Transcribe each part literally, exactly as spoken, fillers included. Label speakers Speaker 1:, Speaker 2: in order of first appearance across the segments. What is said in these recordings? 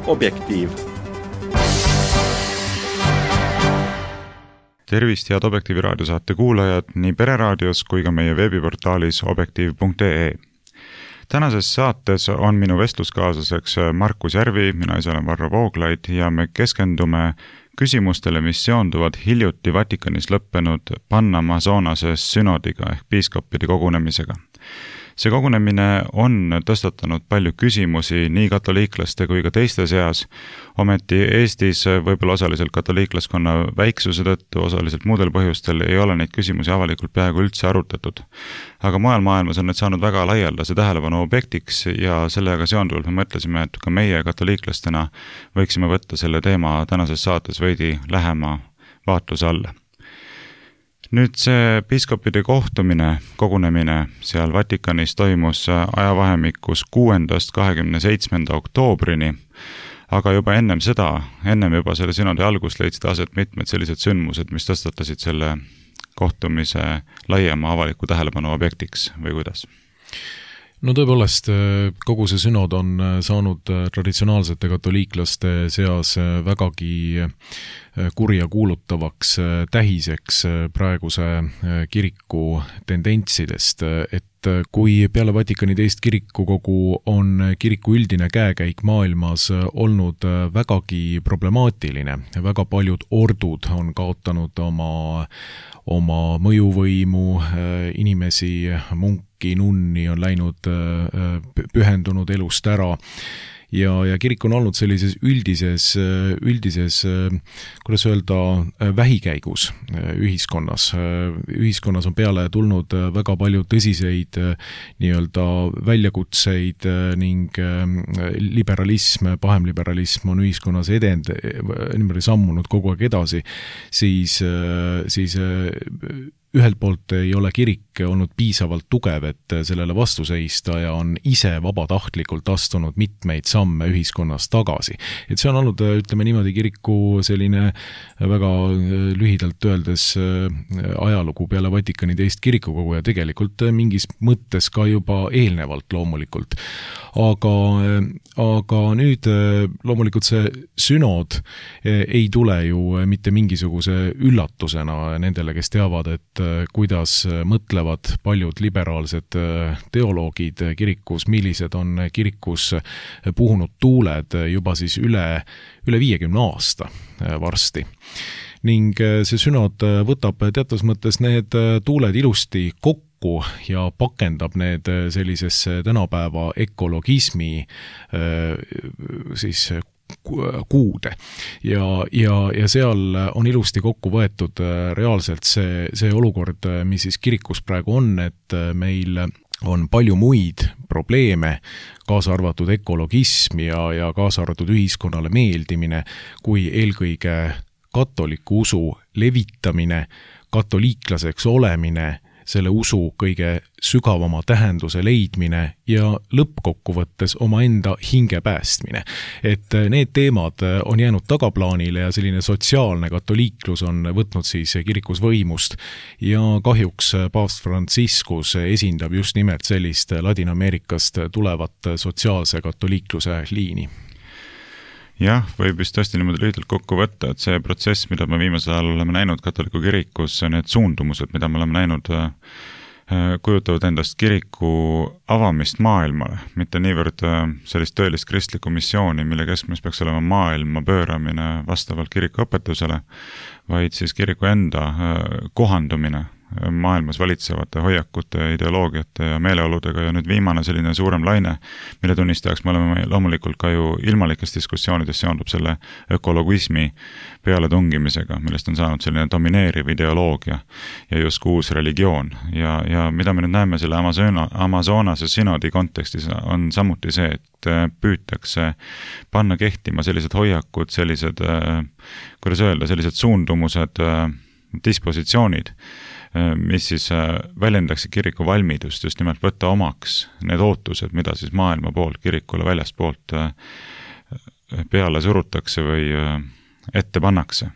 Speaker 1: Objektiiv.
Speaker 2: Tervist, head Objektiivi raadiosaate kuulajad nii Pereraadios kui ka meie veebiportaalis objektiiv punkt ee. Tänases saates on minu vestluskaaslaseks Markus Järvi, mina ise olen Varro Vooglaid ja me keskendume küsimustele, mis seonduvad hiljuti Vatikanis lõppenud Panna Amazonase synodiga ehk piiskoppide kogunemisega. See kogunemine on tõstatanud palju küsimusi nii katoliiklaste kui ka teiste seas, ometi Eestis võib-olla osaliselt katoliiklaskonna väiksuse tõttu, osaliselt muudel põhjustel ei ole neid küsimusi avalikult peaaegu üldse arutatud. Aga mujal maailmas on need saanud väga laialdase tähelepanu objektiks ja sellega seonduvalt me mõtlesime, et ka meie katoliiklastena võiksime võtta selle teema tänases saates veidi lähema vaatluse alla. Nüüd see piiskopide kohtumine, kogunemine seal Vatikanis toimus ajavahemikus kuuendast kahekümne seitsmenda oktoobrini, aga juba ennem seda, ennem juba selle synodi algust leidsid aset mitmed sellised sündmused, mis tõstatasid selle kohtumise laiema avaliku tähelepanu objektiks või kuidas?
Speaker 3: No tõepoolest, kogu see synod on saanud traditsionaalsete katoliiklaste seas vägagi kurja kuulutavaks tähiseks praeguse kiriku tendentsidest, et kui peale Vatikani teist kirikukogu on kiriku üldine käekäik maailmas olnud vägagi problemaatiline, väga paljud ordud on kaotanud oma, oma mõjuvõimu, inimesi, munki, nunni on läinud pühendunud elust ära, ja, ja kirik on olnud sellises üldises, üldises, kuidas öelda, vähikäigus ühiskonnas. Ühiskonnas on peale tulnud väga palju tõsiseid nii-öelda väljakutseid ning liberalism, pahemliberalism on ühiskonnas edend, niimoodi sammunud kogu aeg edasi, siis, siis ühelt poolt ei ole kirik olnud piisavalt tugev, et sellele vastu seista ja on ise vabatahtlikult astunud mitmeid samme ühiskonnas tagasi. Et see on olnud, ütleme niimoodi, kiriku selline väga lühidalt öeldes ajalugu peale Vatikani teist kirikukogu ja tegelikult mingis mõttes ka juba eelnevalt loomulikult. Aga, aga nüüd loomulikult see synod ei tule ju mitte mingisuguse üllatusena nendele, kes teavad, et kuidas mõtlevad paljud liberaalsed teoloogid kirikus, millised on kirikus puhunud tuuled juba siis üle, üle viiekümne aasta varsti. Ning see synod võtab teatud mõttes need tuuled ilusti kokku ja pakendab need sellisesse tänapäeva ökologismi siis kuude ja, ja, ja seal on ilusti kokku võetud reaalselt see, see olukord, mis siis kirikus praegu on, et meil on palju muid probleeme, kaasa arvatud ökologism ja, ja kaasa arvatud ühiskonnale meeldimine, kui eelkõige katoliku usu levitamine, katoliiklaseks olemine, selle usu kõige sügavama tähenduse leidmine ja lõppkokkuvõttes omaenda hinge päästmine. Et need teemad on jäänud tagaplaanile ja selline sotsiaalne katoliiklus on võtnud siis kirikus võimust ja kahjuks paavst Franciscus esindab just nimelt sellist Ladina-Ameerikast tulevat sotsiaalse katoliikluse liini.
Speaker 2: Jah, võib vist tõesti niimoodi lühidalt kokku võtta, et see protsess, mida me viimasel ajal oleme näinud katoliku kirikus, need suundumused, mida me oleme näinud, kujutavad endast kiriku avamist maailmale, mitte niivõrd sellist tõelist kristlikku missiooni, mille keskmes peaks olema maailma pööramine vastavalt kiriku õpetusele, vaid siis kiriku enda kohandumine maailmas valitsevate hoiakute, ideoloogiate ja meeleoludega ja nüüd viimane selline suurem laine, mille tunnistajaks me oleme loomulikult ka ju ilmalikes diskussioonides seondub selle ökologismi peale tungimisega, millest on saanud selline domineeriv ideoloogia ja just uus religioon. Ja, ja mida me nüüd näeme selle Amazona, Amazonase synodi kontekstis on samuti see, et püütakse panna kehtima sellised hoiakud, sellised, kuidas öelda, sellised suundumused, dispositsioonid, mis siis väljendaksid kiriku valmidust just nimelt võtta omaks need ootused, mida siis maailma poolt, kirikule väljast poolt peale surutakse või ette pannakse.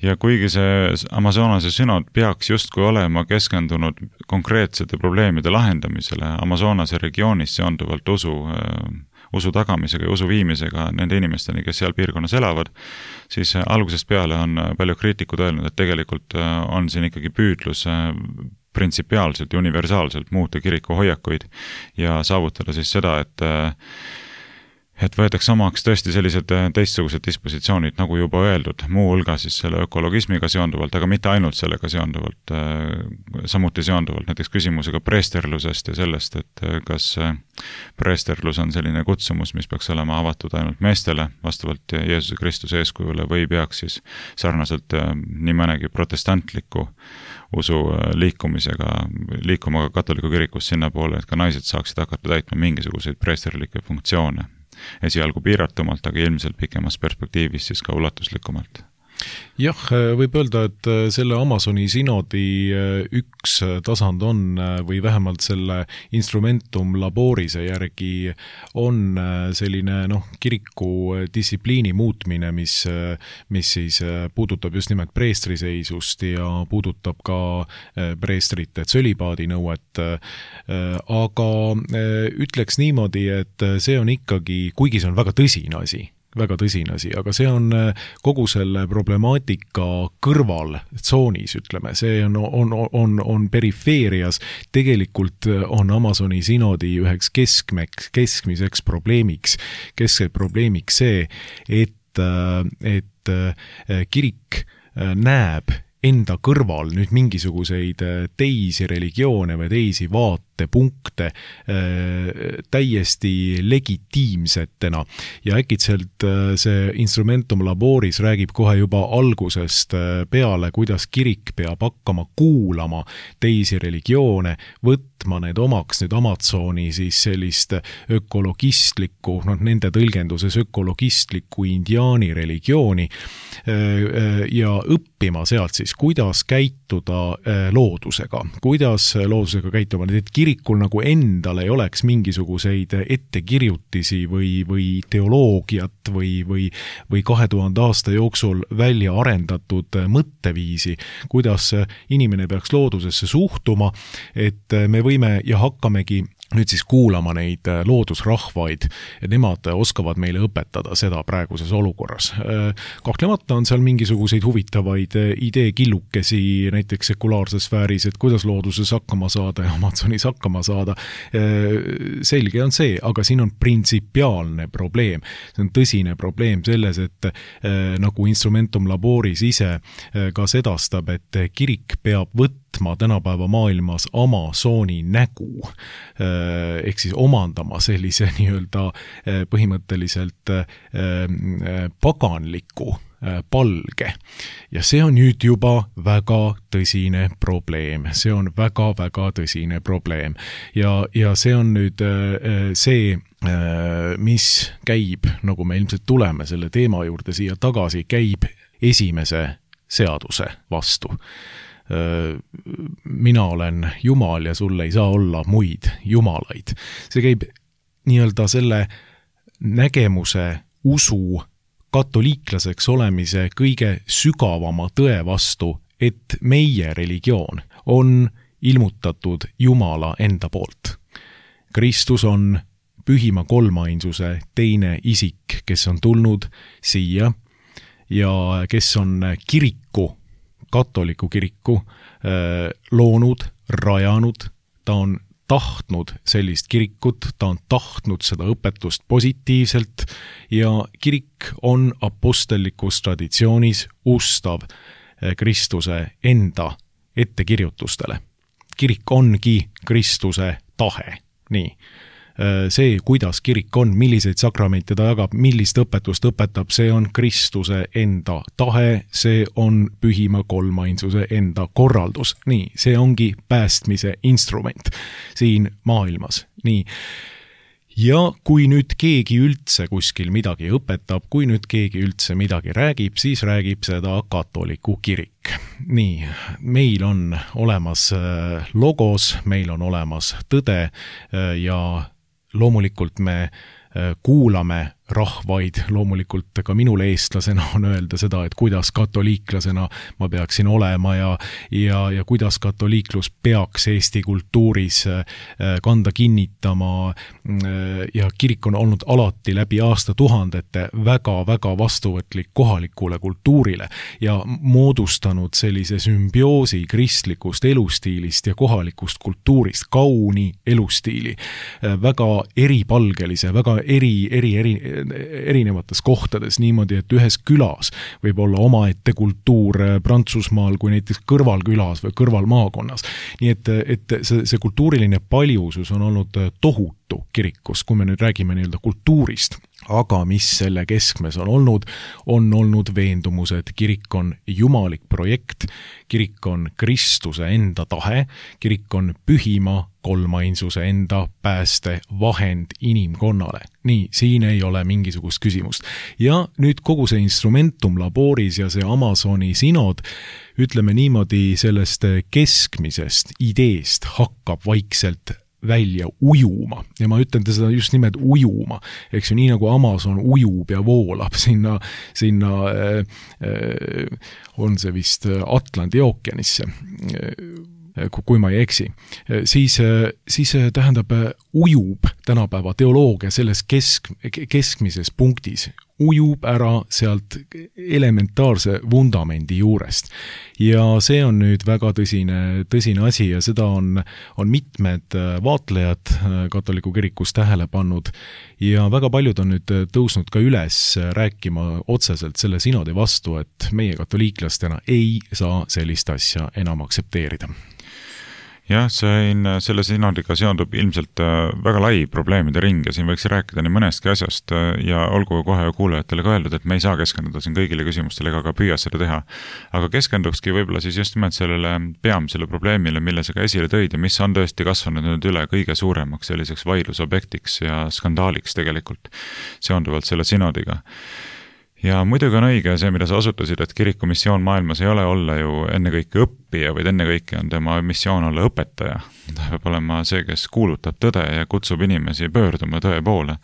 Speaker 2: Ja kuigi see Amazonase synod peaks justkui olema keskendunud konkreetsete probleemide lahendamisele, Amazonase regioonis seonduvalt usu, usu tagamisega ja usu viimisega nende inimesteni, kes seal piirkonnas elavad, siis algusest peale on palju kriitikud öelnud, et tegelikult on siin ikkagi püüdlus printsipiaalselt ja universaalselt muuta kiriku hoiakuid ja saavutada siis seda, et et võetakse omaks tõesti sellised teistsugused dispositsioonid, nagu juba öeldud, muu hulga siis selle ökologismiga seonduvalt, aga mitte ainult sellega seonduvalt, samuti seonduvalt näiteks küsimusega preesterlusest ja sellest, et kas preesterlus on selline kutsumus, mis peaks olema avatud ainult meestele vastavalt Jeesuse Kristuse eeskujule või peaks siis sarnaselt nii mõnegi protestantliku usu liikumisega, liikuma ka katoliku kirikus sinna poole, et ka naised saaksid hakata täitma mingisuguseid preesterlikke funktsioone. Esialgu piiratumalt, aga ilmselt pikemas perspektiivis siis ka ulatuslikumalt.
Speaker 3: Jah, võib öelda, et selle Amazoni sinodi üks tasand on, või vähemalt selle instrumentum laborise järgi on selline noh, kiriku distsipliini muutmine, mis, mis siis puudutab just nimelt preestriseisust ja puudutab ka preestrite tsölibaadinõuet. Aga ütleks niimoodi, et see on ikkagi, kuigi see on väga tõsine asi, väga tõsine asi, aga see on kogu selle problemaatika kõrval tsoonis, ütleme, see on, on, on, on perifeerias, tegelikult on Amazoni sinodi üheks keskmeks, keskmiseks probleemiks, keskse probleemiks see, et, et kirik näeb enda kõrval nüüd mingisuguseid teisi religioone või teisi vaatepunkte täiesti legitiimsetena ja äkitselt see instrumentum laboris räägib kohe juba algusest peale, kuidas kirik peab hakkama kuulama teisi religioone, võtma need omaks nüüd Amazoni siis sellist ökologistlikku, noh nende tõlgenduses ökologistlikku indiaani religiooni ja õppima sealt siis, kuidas käituda loodusega, kuidas loodusega käituma, et kirikul nagu endal ei oleks mingisuguseid ettekirjutisi või, või teoloogiat või, või, või kahe tuhande aasta jooksul välja arendatud mõtteviisi, kuidas inimene peaks loodusesse suhtuma, et me võime ja hakkamegi nüüd siis kuulama neid loodusrahvaid ja nemad oskavad meile õpetada seda praeguses olukorras. Kahtlemata on seal mingisuguseid huvitavaid ideekillukesi näiteks sekulaarses sfääris, et kuidas looduses hakkama saada ja Amazonis hakkama saada. Selge on see, aga siin on printsipiaalne probleem. See on tõsine probleem selles, et nagu instrumentum laboris ise ka sedastab, et kirik peab võtma tänapäeva maailmas Amazoni nägu, ehk siis omandama sellise nii-öelda põhimõtteliselt paganliku palge. Ja see on nüüd juba väga tõsine probleem. See on väga-väga tõsine probleem. Ja, ja see on nüüd see, mis käib, nagu me ilmselt tuleme selle teema juurde siia tagasi, käib esimese seaduse vastu. Mina olen Jumal ja sul ei saa olla muid jumalaid. See käib nii-öelda selle nägemuse, usu, katoliiklaseks olemise kõige sügavama tõe vastu, et meie religioon on ilmutatud Jumala enda poolt. Kristus on pühima kolmainsuse teine isik, kes on tulnud siia ja kes on kiriku katoliku kiriku loonud, rajanud, ta on tahtnud sellist kirikut, ta on tahtnud seda õpetust positiivselt ja kirik on apostellikus traditsioonis ustav Kristuse enda ettekirjutustele. Kirik ongi Kristuse tahe, nii. See, kuidas kirik on, milliseid sakramente ta jagab, millist õpetust õpetab, see on Kristuse enda tahe, see on pühima kolmainsuse enda korraldus. Nii, see ongi päästmise instrument siin maailmas. Nii. Ja kui nüüd keegi üldse kuskil midagi õpetab, kui nüüd keegi üldse midagi räägib, siis räägib seda katoliku kirik. Nii, meil on olemas logos, meil on olemas tõde ja loomulikult me kuulame rahvaid, loomulikult ka minul eestlasena on öelda seda, et kuidas katoliiklasena ma peaksin olema ja, ja, ja kuidas katoliiklus peaks Eesti kultuuris kanda kinnitama ja kirik on olnud alati läbi aastatuhandete väga-väga vastuvõtlik kohalikule kultuurile ja moodustanud sellise sümbioosi kristlikust elustiilist ja kohalikust kultuurist, kauni elustiili, väga eripalgelise, väga eri, eri, eri, erinevates kohtades niimoodi, et ühes külas võib olla omaette kultuur Prantsusmaal kui näiteks kõrvalkülas või kõrvalmaakonnas. Nii et, et see, see kultuuriline paljusus on olnud tohutu kirikus, kui me nüüd räägime nii-öelda kultuurist. Aga mis selle keskmes on olnud, on olnud veendumus, et kirik on jumalik projekt, kirik on Kristuse enda tahe, kirik on pühima kolmainsuse enda pääste vahend inimkonnale. Nii, siin ei ole mingisugust küsimust. Ja nüüd kogu see instrumentum laboris ja see Amazoni sinod, ütleme niimoodi sellest keskmisest ideest hakkab vaikselt välja ujuma ja ma ütlen seda just nimelt ujuma, eks ju, nii nagu Amazon ujub ja voolab sinna, sinna äh, äh, on see vist Atlandi ookeanisse, äh, kui ma ei eksi, siis, siis tähendab ujub tänapäeva teoloogia selles kesk, keskmises punktis, ujub ära sealt elementaarse vundamendi juurest. Ja see on nüüd väga tõsine, tõsine asi ja seda on, on mitmed vaatlejad katoliku kirikus tähele pannud ja väga paljud on nüüd tõusnud ka üles rääkima otseselt selle sinodi vastu, et meie katoliiklastena ei saa sellist asja enam aksepteerida.
Speaker 2: Jah, siin, selle sinodiga seondub ilmselt väga lai probleemide ring ja siin võiks rääkida nii mõnestki asjast ja olgu kohe kuulajatele ka öeldud, et me ei saa keskenduda siin kõigile küsimustele ega ka püüa seda teha. Aga keskendukski võib-olla siis just nimelt sellele peamisele probleemile, mille sa ka esile tõid ja mis on tõesti kasvanud nüüd üle kõige suuremaks selliseks vaidlusobjektiks ja skandaaliks tegelikult seonduvalt selle sinodiga. Ja muidugi on õige see, mida sa osutasid, et kiriku missioon maailmas ei ole olla ju ennekõike õppija, vaid ennekõike on tema missioon olla õpetaja. Ta peab olema see, kes kuulutab tõde ja kutsub inimesi pöörduma tõe poole.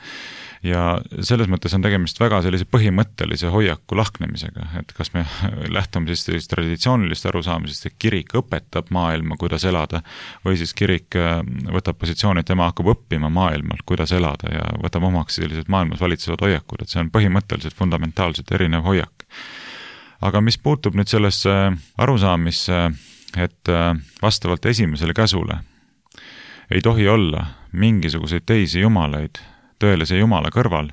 Speaker 2: Ja selles mõttes on tegemist väga sellise põhimõttelise hoiaku lahknemisega, et kas me lähtume siis sellist traditsioonilist arusaamisest, et kirik õpetab maailma, kuidas elada, või siis kirik võtab positsiooni, et tema hakkab õppima maailmalt, kuidas elada ja võtab omaks sellised maailmas valitsevad hoiakud, et see on põhimõtteliselt fundamentaalselt erinev hoiak. Aga mis puutub nüüd sellesse arusaamisse, et vastavalt esimesele käsule ei tohi olla mingisuguseid teisi jumalaid tõelise Jumala kõrval,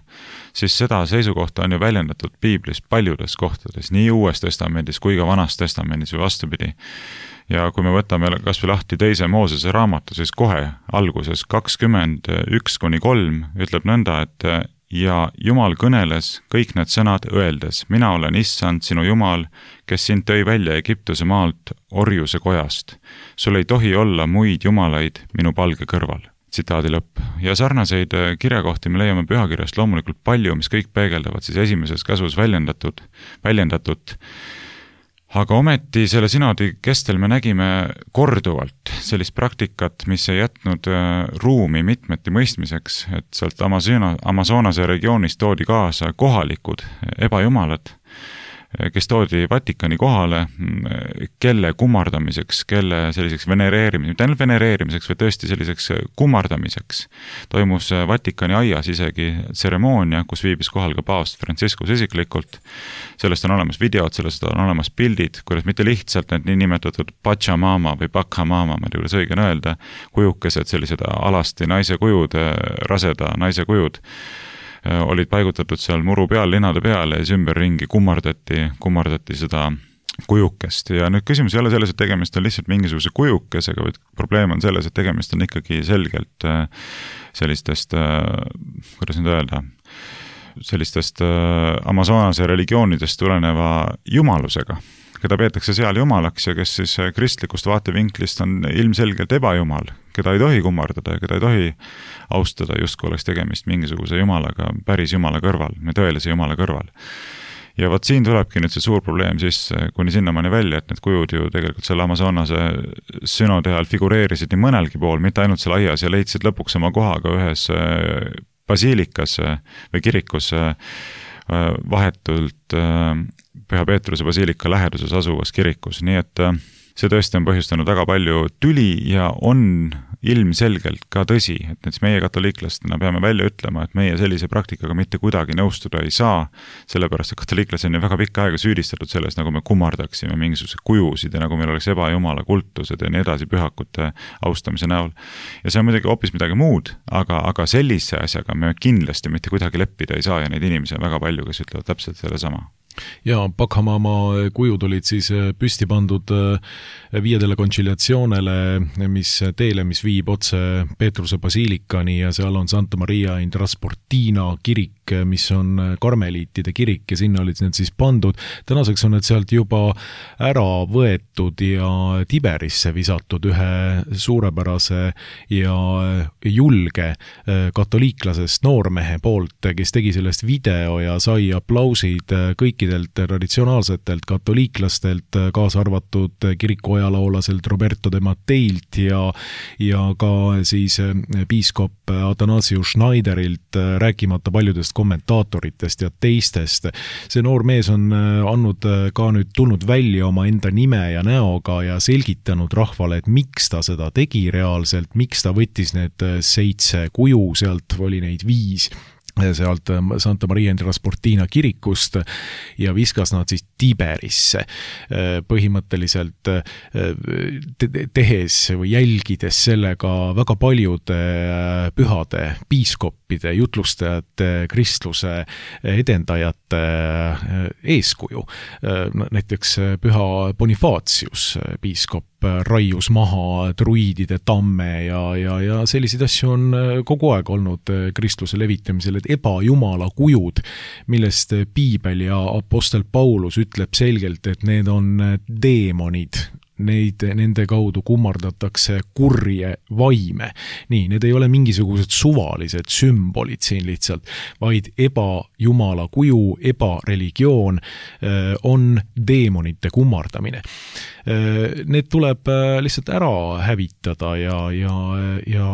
Speaker 2: siis seda seisukohta on ju väljendatud Piiblis paljudes kohtades, nii Uues testamendis kui ka Vanas testamendis või vastupidi. Ja kui me võtame kas või lahti teise Moosese raamatu, siis kohe alguses kakskümmend üks kuni kolm ütleb nõnda, et ja Jumal kõneles kõik need sõnad öeldes, mina olen issand sinu Jumal, kes sind tõi välja Egiptuse maalt orjuse kojast. Sul ei tohi olla muid jumalaid minu palge kõrval. Tsitaadi lõpp. Ja sarnaseid kirjakohti me leiame pühakirjast loomulikult palju, mis kõik peegeldavad siis esimeses käsus väljendatud, väljendatud. Aga ometi selle sinodi kestel me nägime korduvalt sellist praktikat, mis ei jätnud ruumi mitmeti mõistmiseks, et sealt Amazonase regioonist toodi kaasa kohalikud ebajumalad, kes toodi Vatikani kohale, kelle kummardamiseks, kelle selliseks venereerimiseks, mitte ainult venereerimiseks, või tõesti selliseks kummardamiseks. Toimus Vatikani aias isegi tseremoonia, kus viibis kohal ka paavst Franciscus isiklikult. Sellest on olemas videod, sellest on olemas pildid, kuidas mitte lihtsalt need nii nimetatud Pachamama või Pachamama, ma ei tea, kuidas õige on öelda, kujukesed, sellised alasti naise kujud, raseda naise kujud, olid paigutatud seal muru peal, linade peale ja ümberringi kummardati, kummardati seda kujukest. Ja nüüd küsimus ei ole selles, et tegemist on lihtsalt mingisuguse kujukesega, vaid probleem on selles, et tegemist on ikkagi selgelt sellistest, kuidas nüüd öelda, sellistest Amazonase religioonidest tuleneva jumalusega, keda peetakse seal jumalaks ja kes siis kristlikust vaatevinklist on ilmselgelt ebajumal, keda ei tohi kummardada ja keda ei tohi austada, justkui oleks tegemist mingisuguse jumalaga, päris jumala kõrval, tõelise jumala kõrval. Ja võt siin tulebki nüüd see suur probleem siis, kuni sinnamaani välja, et need kujud ju tegelikult selle Amazonase sünode ajal figureerisid nii mõnelgi pool, mitte ainult seal aias ja leidsid lõpuks oma kohaga ühes basiilikas või kirikus vahetult Püha Peetruse basiilika läheduses asuvas kirikus, nii et see tõesti on põhjustanud väga palju tüli ja on ilmselgelt ka tõsi, et näiteks meie katoliiklastena peame välja ütlema, et meie sellise praktikaga mitte kuidagi nõustuda ei saa, sellepärast et katoliiklasi on ju väga pikka aega süüdistatud selles, nagu me kummardaksime mingisuguse kujusid ja nagu meil oleks ebajumala kultused ja nii edasi pühakute austamise näol. Ja see on muidugi hoopis midagi muud, aga, aga sellise asjaga me kindlasti mitte kuidagi leppida ei saa ja neid inimesi on väga palju, kes ütlevad täpselt selle sama.
Speaker 3: Ja Pakhamaama kujud olid siis püsti pandud viiedele kontsiliatsioonele, mis teele, mis viib otse Peetruse basiilikani ja seal on Santa Maria in Trasportina kirik, mis on karmeliitide kirik ja sinna olid need siis pandud. Tänaseks on need sealt juba ära võetud ja Tiberisse visatud ühe suurepärase ja julge katoliiklasest noormehe poolt, kes tegi sellest video ja sai aplausid kõiki traditsionaalsetelt katoliiklastelt, kaasa arvatud kirikuajaloolaselt Roberto de Matteilt ja, ja ka siis piiskop Athanasius Schneiderilt, rääkimata paljudest kommentaatoritest ja teistest. See noor mees on andnud ka nüüd tulnud välja oma enda nime ja näoga ja selgitanud rahvale, et miks ta seda tegi reaalselt, miks ta võttis need seitse kuju, sealt oli neid viis sealt Santa Maria in Trasportina kirikust ja viskas nad siis Tiberisse põhimõtteliselt tehes või jälgides sellega väga paljude pühade, piiskoppide, jutlustajate, kristluse edendajate eeskuju. Näiteks püha Bonifacius, piiskop, raius maha druidide tamme ja, ja, ja selliseid asju on kogu aeg olnud kristluse levitamisel, et ebajumala kujud, millest piibel ja apostel Paulus ütleb selgelt, et need on deemonid, neid, nende kaudu kummardatakse kurje vaime. Nii, need ei ole mingisugused suvalised sümbolid siin lihtsalt, vaid ebajumala kuju, ebareligioon on deemonite kummardamine. Need tuleb lihtsalt ära hävitada ja, ja, ja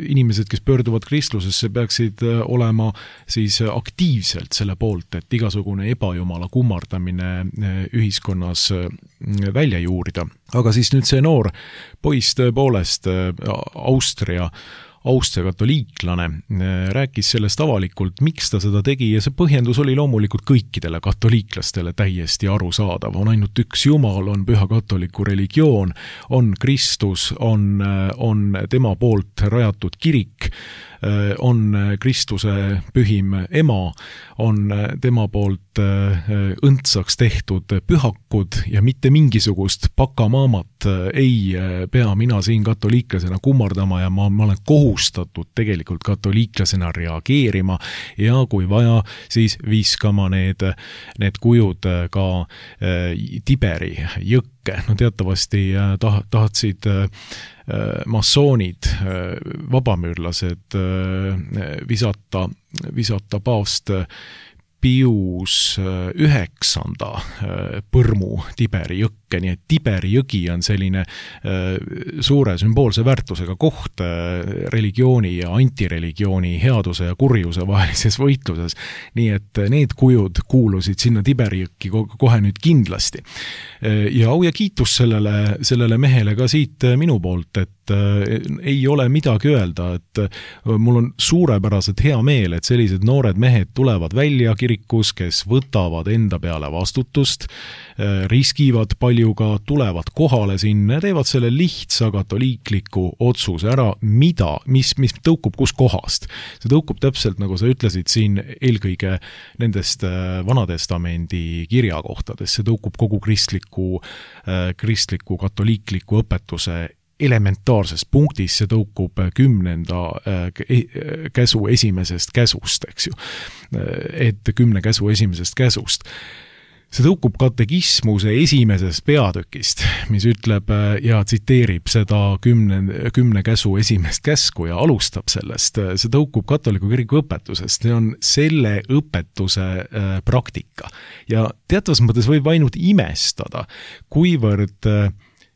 Speaker 3: inimesed, kes pöörduvad kristlusesse, peaksid olema siis aktiivselt selle poolt, et igasugune ebajumala kummardamine ühiskonnas välja juurida. Aga siis nüüd see noor poiss tõepoolest Austria Austria katoliiklane rääkis sellest avalikult, miks ta seda tegi ja see põhjendus oli loomulikult kõikidele katoliiklastele täiesti arusaadav. On ainult üks Jumal, on püha katoliku religioon, on Kristus, on, on tema poolt rajatud kirik, on Kristuse pühim ema, on tema poolt õndsaks tehtud pühakud ja mitte mingisugust pakamaamat ei pea mina siin katoliiklasena kummardama ja ma, ma olen kohustatud tegelikult katoliiklasena reageerima ja kui vaja, siis viskama need, need kujud ka Tiberi jõkke. No teatavasti tah, tahtsid massoonid, vabamüürlased visata, visata paavst Pius üheksanda põrmu Tiberi jõkke, nii et Tiberi jõgi on selline suure sümboolse väärtusega koht religiooni ja antireligiooni, headuse ja kurjuse vahelises võitluses. Nii et need kujud kuulusid sinna Tiberi jõkki kohe nüüd kindlasti. Ja au ja kiitus sellele, sellele mehele ka siit minu poolt, et ei ole midagi öelda, et mul on suurepäraselt hea meel, et sellised noored mehed tulevad välja kirikus, kes võtavad enda peale vastutust, riskivad paljuga, tulevad kohale sinna ja teevad selle lihtsa katoliikliku otsuse ära, mida, mis, mis tõukub kus kohast. See tõukub täpselt, nagu sa ütlesid siin, eelkõige nendest Vanatestamendi kirjakohtadest, see tõukub kogu kristliku, kristliku katoliikliku õpetuse elementaarsest punktis, see tõukub kümnenda käsu esimesest käsust, eks ju. Et kümne käsu esimesest käsust. See tõukub katekismuse esimesest peatükist, mis ütleb ja tsiteerib seda kümne, kümne käsu esimest käsku ja alustab sellest. See tõukub katoliku kiriku õpetusest. See on selle õpetuse praktika. Ja teatavas mõttes võib ainult imestada, kuivõrd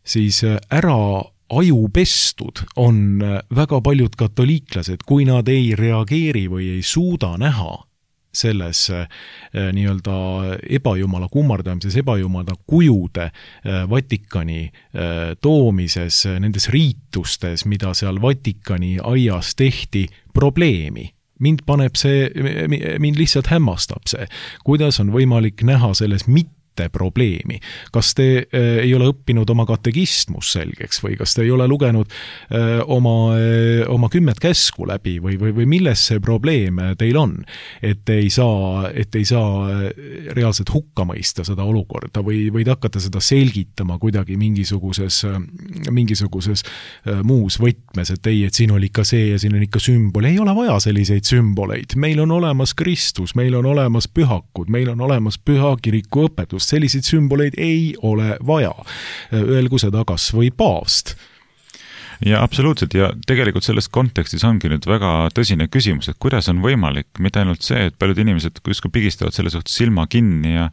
Speaker 3: siis ära ajupestud on väga paljud katoliiklased, kui nad ei reageeri või ei suuda näha selles nii-öelda ebajumala kummardamises, ebajumala kujude Vatikani toomises, nendes riitustes, mida seal Vatikani aias tehti, probleemi. Mind paneb see, mind lihtsalt hämmastab see, kuidas on võimalik näha selles mitte probleemi. Kas te äh, ei ole õppinud oma katekistmus selgeks või kas te ei ole lugenud äh, oma, äh, oma kümmet käsku läbi või, või, või milles see probleem teil on, et ei saa, et ei saa reaalselt hukka mõista seda olukorda või, või hakata seda selgitama kuidagi mingisuguses, mingisuguses äh, muus võtmes, et ei, et siin oli ikka see ja siin on ikka sümbol. Ei ole vaja selliseid sümboleid. Meil on olemas Kristus, meil on olemas pühakud, meil on olemas püha kiriku õpetus. Selliseid sümboleid ei ole vaja. Öelgu seda kas või paavst.
Speaker 2: Ja absoluutselt ja tegelikult selles kontekstis ongi nüüd väga tõsine küsimus, et kuidas on võimalik, mitte ainult see, et paljud inimesed kuskil pigistavad selle suhtes silma kinni ja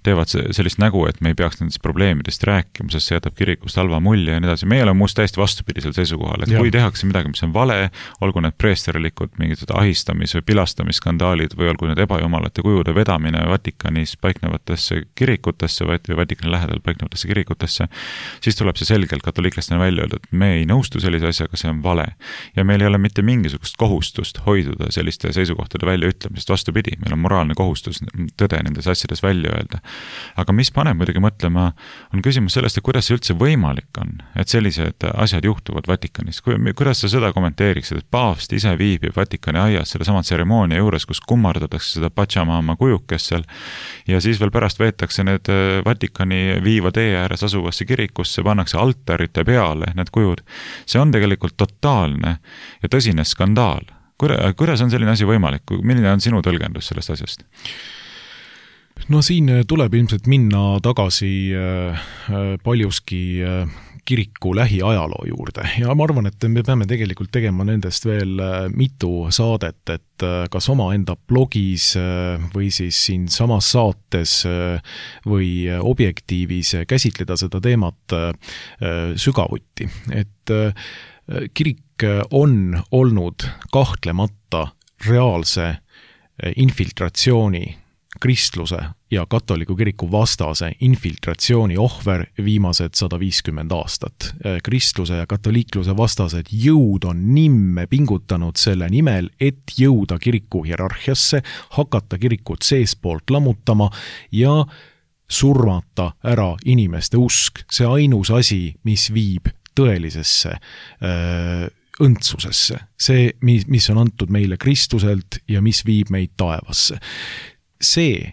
Speaker 2: teevad sellist nägu, et me ei peaks nendest probleemidest rääkima, sest see jätab kirikust halva mulje ja nii edasi. Meie oleme muust täiesti vastupidisel seisukohal, et ja. Kui tehakse midagi, mis on vale, olgu need preesterlikud mingid ahistamis- või pilastamisskandaalid või olgu need ebajumalate kujude vedamine Vatikanis paiknevatesse kirikutesse või Vatikani lähedal paiknevatesse kirikutesse, siis tuleb see selgelt katoliiklastena välja öelda, et me ei nõustu sellise asjaga, see on vale. Ja meil ei ole mitte mingisugust kohustust hoiduda selliste seisukohtade väljaütlemisest, vastupidi, meil on moraalne kohustus tõde nendes asjades välja öelda. Aga mis paneb muidugi mõtlema, on küsimus sellest, et kuidas see üldse võimalik on, et sellised asjad juhtuvad Vatikanis. Kuidas sa seda kommenteeriksid, et paavst ise viibib Vatikani aias selle sama tseremoonia juures, kus kummardatakse seda Pachamama kujukest seal ja siis veel pärast veetakse need Vatikani viiva tee ääres asuvasse kirikusse, pannakse altarite peale need kujud. See on tegelikult totaalne ja tõsine skandaal. Kuidas on selline asi võimalik? Milline on sinu tõlgendus sellest asjast?
Speaker 3: No siin tuleb ilmselt minna tagasi paljuski kiriku lähiajaloo juurde ja ma arvan, et me peame tegelikult tegema nendest veel mitu saadet, et kas oma enda blogis või siis siin samas saates või objektiivis käsitleda seda teemat sügavuti. Et kirik on olnud kahtlemata reaalse infiltratsiooni kristluse ja katoliku kiriku vastase infiltratsiooni ohver viimased sada viiskümmend aastat. Kristluse ja katoliikluse vastased jõud on nimme pingutanud selle nimel, et jõuda kiriku hierarhiasse, hakata kirikut seespoolt lammutama ja surmata ära inimeste usk. See ainus asi, mis viib tõelisesse öö, õndsusesse. See, mis on antud meile Kristuselt ja mis viib meid taevasse. See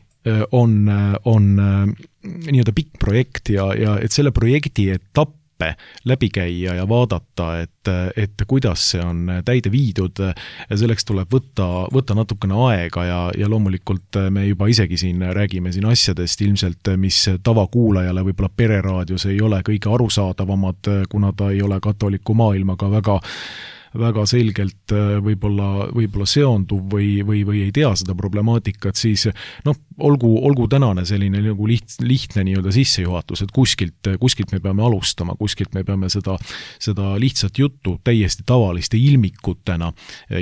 Speaker 3: on, on nii-öelda pikk projekt ja, ja et selle projekti etappe läbi käia ja vaadata, et, et kuidas see on täide viidud, selleks tuleb võtta, võtta natukene aega ja, ja loomulikult me juba isegi siin räägime siin asjadest ilmselt, mis tavakuulajale võib-olla pereraadios ei ole kõige arusaadavamad, kuna ta ei ole katoliku maailmaga väga väga selgelt võib-olla, võib-olla seonduv või, või, või ei tea seda problemaatikat, siis noh, olgu, olgu tänane selline nagu liht, lihtne nii-öelda sissejuhatus, et kuskilt, kuskilt me peame alustama, kuskilt me peame seda, seda lihtsat juttu täiesti tavaliste ilmikutena,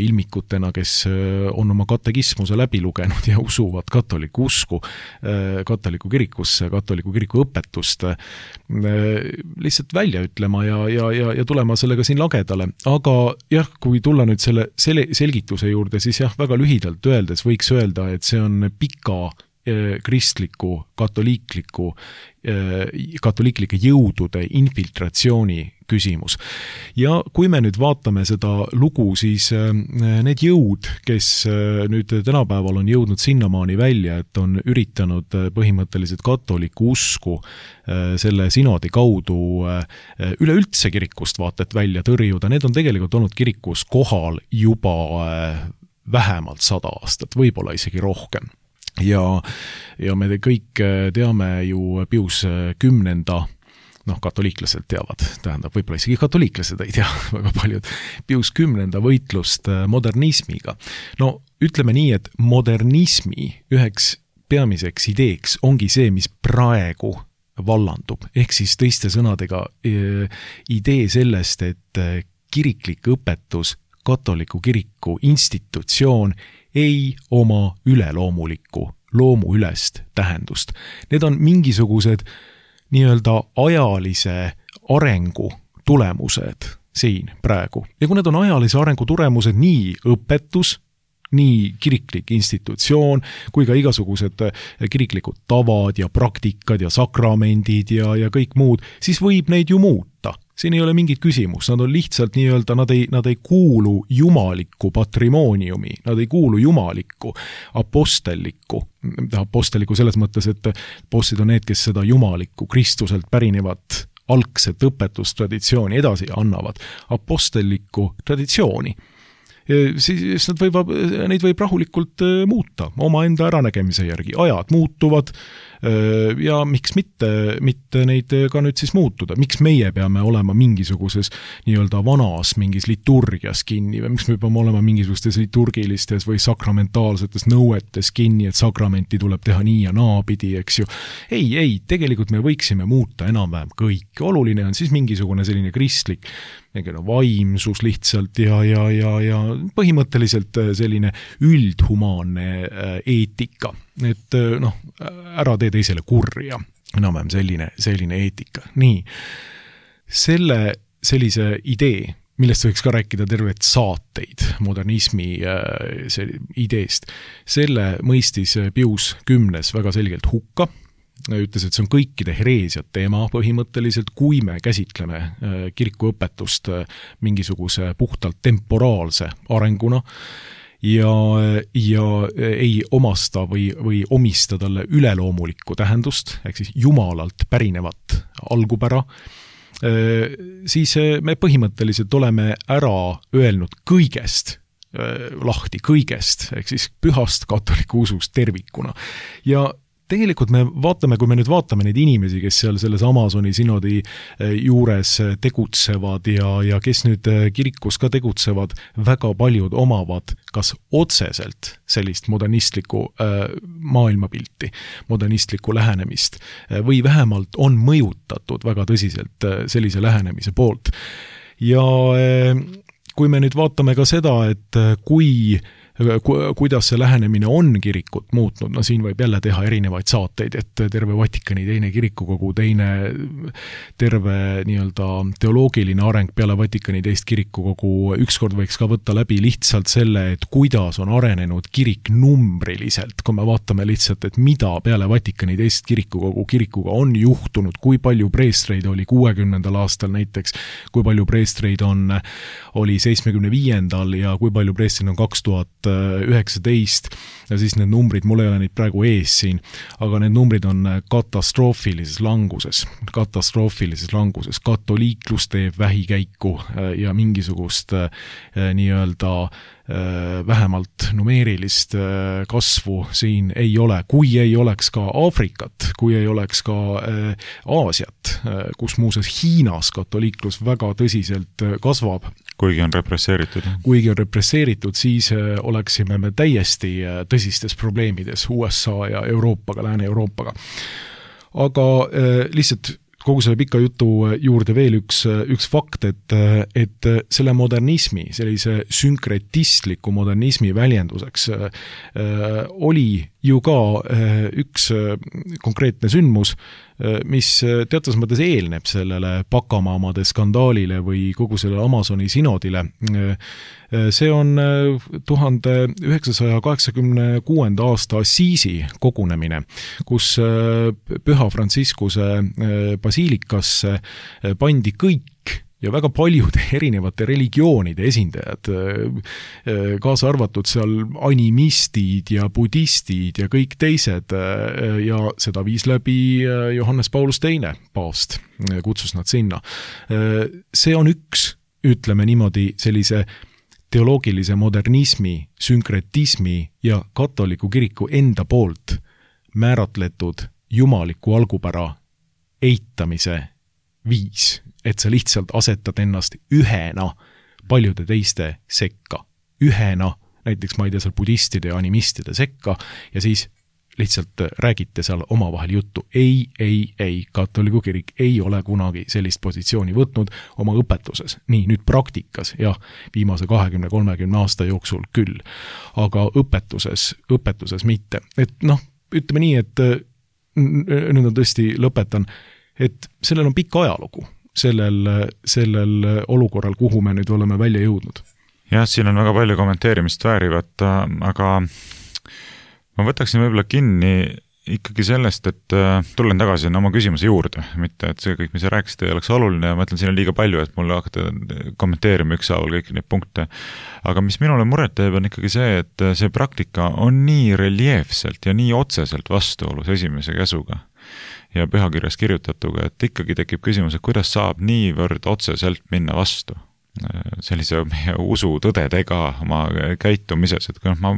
Speaker 3: ilmikutena, kes on oma katekismuse läbi lugenud ja usuvad katoliku usku, katoliku kirikusse, katoliku kiriku õpetust, lihtsalt välja ütlema ja, ja, ja, ja tulema sellega siin lagedale, aga jah, kui tulla nüüd selle, selle selgituse juurde, siis jah, väga lühidalt öeldes võiks öelda, et see on pika eh, kristliku, katoliikliku, eh, katoliiklike jõudude infiltratsiooni küsimus. Ja kui me nüüd vaatame seda lugu, siis eh, need jõud, kes eh, nüüd tänapäeval on jõudnud sinnamaani välja, et on üritanud põhimõtteliselt katoliku usku eh, selle sinodi kaudu eh, üleüldse kirikust vaatet välja tõrjuda, need on tegelikult olnud kirikus kohal juba eh, vähemalt sada aastat, võib-olla isegi rohkem. Ja, ja me kõik teame ju Pius kümnenda, noh, katoliiklased teavad, tähendab, võib-olla isegi katoliiklased ei tea väga paljud, Pius kümnenda võitlust modernismiga. No ütleme nii, et modernismi üheks peamiseks ideeks ongi see, mis praegu vallandub. Ehk siis teiste sõnadega idee sellest, et kiriklik õpetus, katoliku kiriku institutsioon ei oma üleloomulikku, loomuülest tähendust. Need on mingisugused nii-öelda ajalise arengu tulemused siin praegu. Ja kui need on ajalise arengu tulemused, nii õpetus, nii kiriklik institutsioon, kui ka igasugused kiriklikud tavad ja praktikad ja sakramendid ja, ja kõik muud, siis võib neid ju muuta. Siin ei ole mingit küsimus, nad on lihtsalt nii-öelda, nad ei, nad ei kuulu jumalikku patrimooniumi, nad ei kuulu jumalikku apostellikku, apostellikku selles mõttes, et apostlid on need, kes seda jumalikku Kristuselt pärinevat algset õpetustraditsiooni edasi annavad, apostellikku traditsiooni. Siis nad võivad, neid võib rahulikult muuta oma enda äranägemise järgi. Ajad muutuvad ja miks mitte, mitte neid ka nüüd siis muutuda. Miks meie peame olema mingisuguses nii-öelda vanas mingis liturgias kinni või miks me peame olema mingisugustes liturgilistes või sakramentaalsetes nõuetes kinni, et sakramenti tuleb teha nii ja naapidi, eks ju. Ei, ei, tegelikult me võiksime muuta enam-vähem kõik. Oluline on siis mingisugune selline kristlik vaimsus lihtsalt ja, ja, ja, ja põhimõtteliselt selline üldhumaanne eetika. Et noh, ära tee teisele kurja. Enam-vähem selline, selline eetika. Nii, selle, sellise idee, millest võiks ka rääkida tervet saateid modernismi see ideest, selle mõistis Pius kümnes väga selgelt hukka. Ütles, et see on kõikide hereesiat teema põhimõtteliselt, kui me käsitleme kirikuõpetust mingisuguse puhtalt temporaalse arenguna ja, ja ei omasta või, või omista talle üleloomulikku tähendust, ehk siis jumalalt pärinevat algupära, siis me põhimõtteliselt oleme ära öelnud kõigest lahti, kõigest, ehk siis pühast katoliku usust tervikuna. Ja tegelikult me vaatame, kui me nüüd vaatame neid inimesi, kes seal selles Amazoni sinodi juures tegutsevad ja, ja kes nüüd kirikus ka tegutsevad, väga paljud omavad kas otseselt sellist modernistlikku äh, maailmapilti, modernistlikku lähenemist või vähemalt on mõjutatud väga tõsiselt sellise lähenemise poolt. Ja äh, kui me nüüd vaatame ka seda, et kui kuidas see lähenemine on kirikut muutnud, no siin võib jälle teha erinevaid saateid, et terve Vatikani teine kirikukogu, teine terve nii-öelda teoloogiline areng peale Vatikani teist kirikukogu, ükskord võiks ka võtta läbi lihtsalt selle, et kuidas on arenenud kirik numbriliselt, kui me vaatame lihtsalt, et mida peale Vatikani teist kirikukogu kirikuga on juhtunud, kui palju preestreid oli kuuekümnendal aastal näiteks, kui palju preestreid on, oli seitsmekümne viiendal ja kui palju preestreid on kaks tuhat üheksateist ja siis need numbrid, mul ei ole neid praegu ees siin, aga need numbrid on katastroofilises languses, katastroofilises languses, katoliiklus teeb vähikäiku ja mingisugust nii-öelda vähemalt numeerilist kasvu siin ei ole, kui ei oleks ka Aafrikat, kui ei oleks ka Aasiat, kus muuseas Hiinas katoliiklus väga tõsiselt kasvab.
Speaker 2: Kuigi on represseeritud.
Speaker 3: Kuigi on represseeritud, siis oleksime me täiesti tõsistes probleemides U S A ja Euroopaga, Lääne-Euroopaga. Aga lihtsalt kogu selle pika jutu juurde veel üks, üks fakt, et, et selle modernismi, sellise sünkretistliku modernismi väljenduseks äh, oli ju ka äh, üks konkreetne sündmus, äh, mis teatas mõttes eelneb sellele Pakamaamade skandaalile või kogu sellele Amazoni sinodile. See on tuhande üheksasaja kaheksakümne kuuenda aasta Assiisi kogunemine, kus Püha Franciscuse basiilikasse pandi kõik ja väga paljud erinevate religioonide esindajad, kaasa arvatud seal animistid ja budistid ja kõik teised, ja seda viis läbi Johannes Paulus teine paavst, kutsus nad sinna. See on üks, ütleme niimoodi, sellise teoloogilise modernismi, sünkretismi ja katoliku kiriku enda poolt määratletud jumaliku algupära eitamise viis, et sa lihtsalt asetad ennast ühena paljude teiste sekka. Ühena, näiteks ma ei tea seal budistide ja animistide sekka ja siis lihtsalt räägite seal omavahel juttu. Ei, ei, ei, katoliku kirik ei ole kunagi sellist positsiooni võtnud oma õpetuses. Nii, nüüd praktikas, jah, viimase kahekümne kolmekümne aasta jooksul küll, aga õpetuses, õpetuses mitte. Et noh, ütleme nii, et nüüd on tõesti lõpetan, et sellel on pikk ajalugu, sellel, sellel olukorral, kuhu me nüüd oleme välja jõudnud.
Speaker 2: Jah, siin on väga palju kommenteerimist väärivat, aga ma võtaksin võib-olla kinni ikkagi sellest, et tulen tagasi oma küsimuse juurde, mitte et see kõik, mis sa rääkisid, ei oleks oluline ja ma ütlen, siin on liiga palju, et mulle hakata kommenteerima ükshaaval kõiki neid punkte. Aga mis minule muret teeb, on ikkagi see, et see praktika on nii reljeefselt ja nii otseselt vastuolus esimese käsuga ja pühakirjas kirjutatuga, et ikkagi tekib küsimus, et kuidas saab niivõrd otseselt minna vastu sellise meie usu tõdedega oma käitumises, et kui ma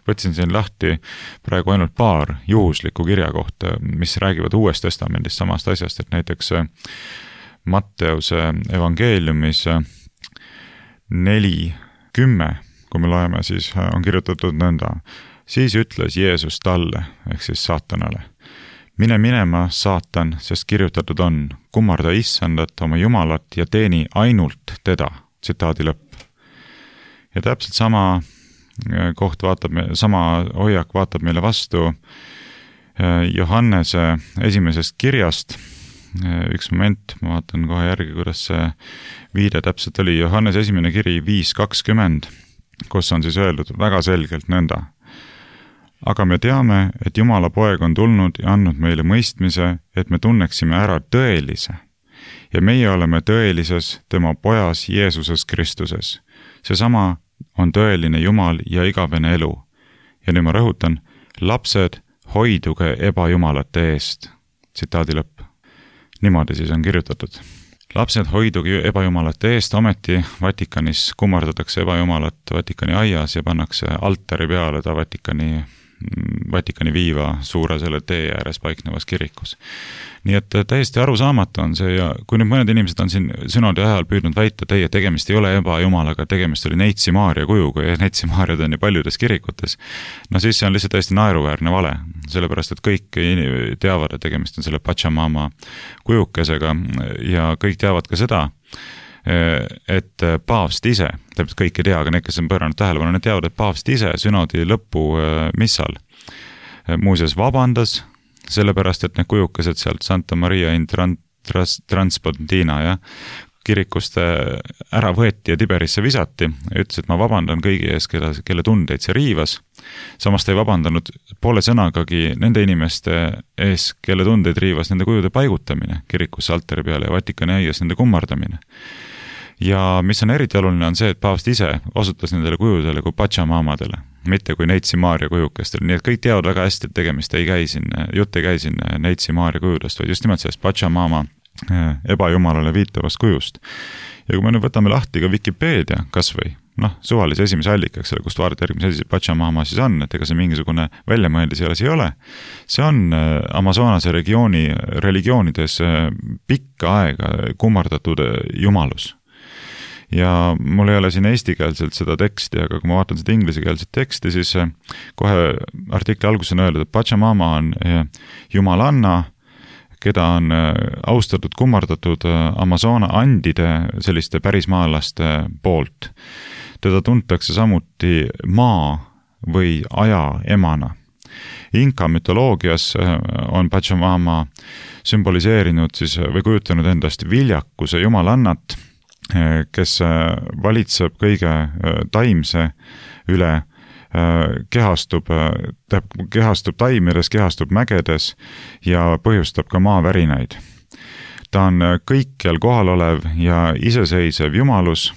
Speaker 2: võtsin siin lahti praegu ainult paar juhuslikku kirja kohta, mis räägivad Uuest Testamendist samast asjast, et näiteks Matteuse evangeeliumis neli kümme, kui me loeme, siis on kirjutatud nõnda. Siis ütles Jeesus talle, ehk siis saatanale, mine minema, saatan, sest kirjutatud on, kummarda issandat oma Jumalat ja teeni ainult teda, tsitaadi lõpp. Ja täpselt sama koht vaatab, sama hoiak vaatab meile vastu Johannese esimesest kirjast. Üks moment, ma vaatan kohe järgi, kuidas see viide täpselt oli. Johannes esimene kiri viis kakskümmend, kus on siis öeldud väga selgelt nõnda. Aga me teame, et Jumala poeg on tulnud ja andnud meile mõistmise, et me tunneksime ära tõelise. Ja meie oleme tõelises tema pojas Jeesuses Kristuses. Seesama on tõeline Jumal ja igavene elu. Ja nüüd ma rõhutan, lapsed, hoiduge ebajumalate eest. Tsitaadi lõpp. Niimoodi siis on kirjutatud. Lapsed, hoiduge ebajumalate eest, ometi Vatikanis kummardatakse ebajumalat Vatikani aias ja pannakse altari peale ta Vatikani Vatikani viiva suure selle tee ääres paiknevas kirikus. Nii et täiesti arusaamatu on see ja kui nüüd mõned inimesed on siin synodi ajal püüdnud väita, teie tegemist ei ole ebajumalaga, tegemist oli Neitsi Maaria kujuga ja Neitsi Maariad on ju paljudes kirikutes, no siis see on lihtsalt täiesti naeruväärne vale, sellepärast et kõik teavad, et tegemist on selle Pachamama kujukesega ja kõik teavad ka seda, et paavst ise, täpselt kõik ei tea, aga need, kes on pööranud tähelepanu, need teavad, et paavst ise synodi lõpu missal muuseas vabandas, sellepärast, et need kujukesed sealt Santa Maria in Transpontina ja kirikust ära võeti ja Tiberisse visati, ütles, et ma vabandan kõigi ees, kelle, kelle tundeid see riivas. Samas ta ei vabandanud poole sõnagagi nende inimeste ees, kelle tundeid riivas nende kujude paigutamine kirikusse altari peale ja Vatikani aias nende kummardamine. Ja mis on eriti oluline on see, et paavst ise osutas nendele kujudele kui Pachamamadele, mitte kui Neitsi Maaria kujukestele. Nii et kõik teavad väga hästi, et tegemist ei käi siin, jutt ei käi siin Neitsi Maaria kujudest, vaid just nimelt sellest Pachamama ebajumalale viitavast kujust. Ja kui me nüüd võtame lahti ka Wikipedia kas või, noh, suvalise esimese allikaks, kust vaadata järgmise asi Pachamama siis on, et ega see mingisugune väljamõeldis jälle ei ole. See on Amazonase regiooni religioonides pikka aega kummardatud jumalus. Ja mul ei ole siin eestikeelselt seda teksti, aga kui ma vaatan seda inglisekeelset teksti, siis kohe artikli alguses on öeldud, et Pachamama on jumalanna, keda on austatud kummardatud Amazona andide selliste pärismaalaste poolt. Teda tuntakse samuti maa või aja emana. Inka mütoloogias on Pachamama sümboliseerinud siis, või kujutanud endast viljakuse jumalannat, kes valitseb kõige taimse üle, kehastub, kehastub taimides, kehastub mägedes ja põhjustab ka maavärinaid. Ta on kõikjal kohal olev ja iseseisev jumalus,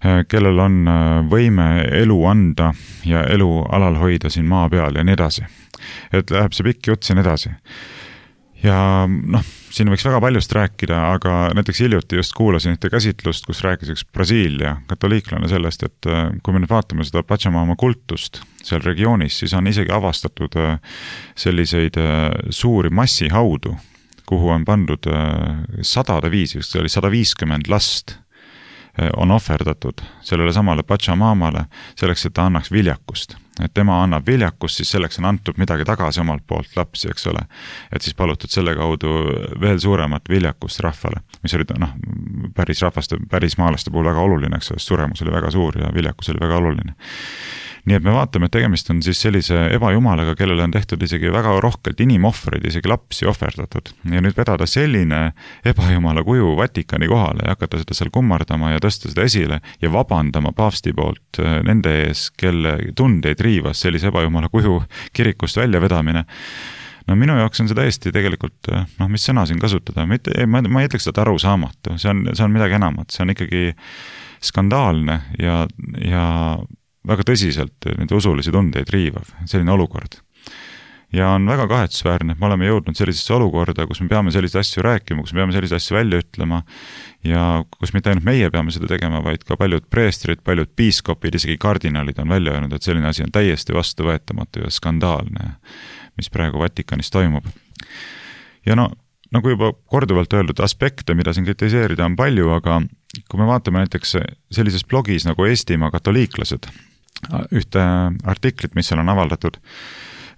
Speaker 2: kellel on võime elu anda ja elu alal hoida siin maa peal ja nii edasi. Et läheb see pikk jutt siin edasi. Ja noh, siin võiks väga paljust rääkida, aga näiteks hiljuti just kuulasin ühte käsitlust, kus rääkis üks Brasiilia katoliiklane sellest, et kui me nüüd vaatame seda Pachamama kultust seal regioonis, siis on isegi avastatud selliseid suuri massihaudu, kuhu on pandud sadade viisi, just oli sada viiskümmend last on ohverdatud sellele samale Pachamamale selleks, et ta annaks viljakust. Et tema annab viljakust, siis selleks on antud midagi tagasi omalt poolt lapsi, eks ole. Et siis palutud selle kaudu veel suuremat viljakust rahvale, mis oli noh, päris rahvaste, päris maalaste puhul väga oluline, eks ole, suremus oli väga suur ja viljakus oli väga oluline. Nii et me vaatame, et tegemist on siis sellise ebajumalaga, kellele on tehtud isegi väga rohkelt inimohvreid, isegi lapsi ohverdatud. Ja nüüd vedada selline ebajumala kuju Vatikani kohale ja hakata seda seal kummardama ja tõsta seda esile ja vabandama paavsti poolt nende ees, kelle tundeid riivas sellise ebajumala kuju kirikust välja vedamine. No minu jaoks on see täiesti tegelikult, noh, mis sõna siin kasutada, mitte, ma, ma ei ütleks seda arusaamatu, see on, see on midagi enamat, see on ikkagi skandaalne ja, ja väga tõsiselt nende usulisi tundeid riivav, selline olukord. Ja on väga kahetsusväärne, et me oleme jõudnud sellisesse olukorda, kus me peame selliseid asju rääkima, kus me peame selliseid asju välja ütlema ja kus mitte ainult meie peame seda tegema, vaid ka paljud preestrid, paljud piiskopid, isegi kardinalid on välja öelnud, et selline asi on täiesti vastuvõetamatu ja skandaalne, mis praegu Vatikanis toimub. Ja no, nagu juba korduvalt öeldud, aspekte, mida siin kritiseerida on palju, aga kui me vaatame näiteks sellises blogis nagu Eestimaa katoliiklased, ühte artiklit, mis seal on avaldatud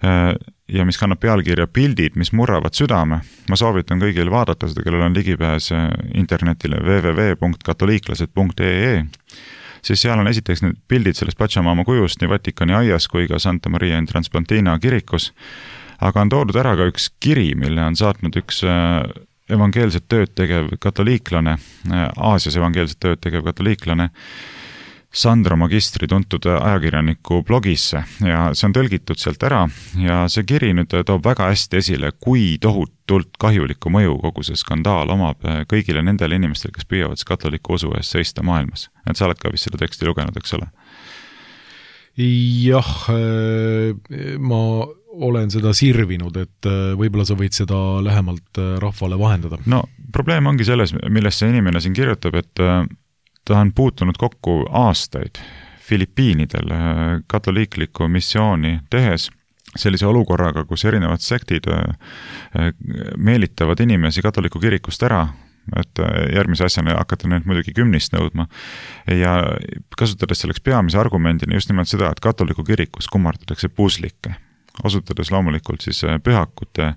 Speaker 2: ja mis kannab pealkirja Pildid, mis murravad südame. Ma soovitan kõigil vaadata seda, kellel on ligipääs internetile w w w punkt katoliiklased punkt e e. Siis seal on esiteks need pildid sellest Pachamama kujust nii Vatikani aias kui ka Santa Maria in Transplantina kirikus, aga on toodud ära ka üks kiri, mille on saatnud üks evangeelset tööd tegev katoliiklane, Aasias evangeelset tööd tegev katoliiklane, Sandro Magistri tuntud ajakirjaniku blogisse ja see on tõlgitud sealt ära ja see kiri nüüd toob väga hästi esile, kui tohutult kahjulikku mõju kogu see skandaal omab kõigile nendele inimestele, kes püüavad katoliku usu eest seista maailmas. Et sa oled ka vist seda teksti lugenud, eks ole?
Speaker 3: Jah, ma olen seda sirvinud, et võib-olla sa võid seda lähemalt rahvale vahendada.
Speaker 2: No probleem ongi selles, millest see inimene siin kirjutab, et ta on puutunud kokku aastaid Filipiinidel katoliikliku missiooni tehes sellise olukorraga, kus erinevad sektid meelitavad inimesi katoliku kirikust ära, et järgmise asjana hakata neid muidugi kümnist nõudma ja kasutades selleks peamise argumendini just nimelt seda, et katoliku kirikus kummardatakse puslikke, osutades loomulikult siis pühakute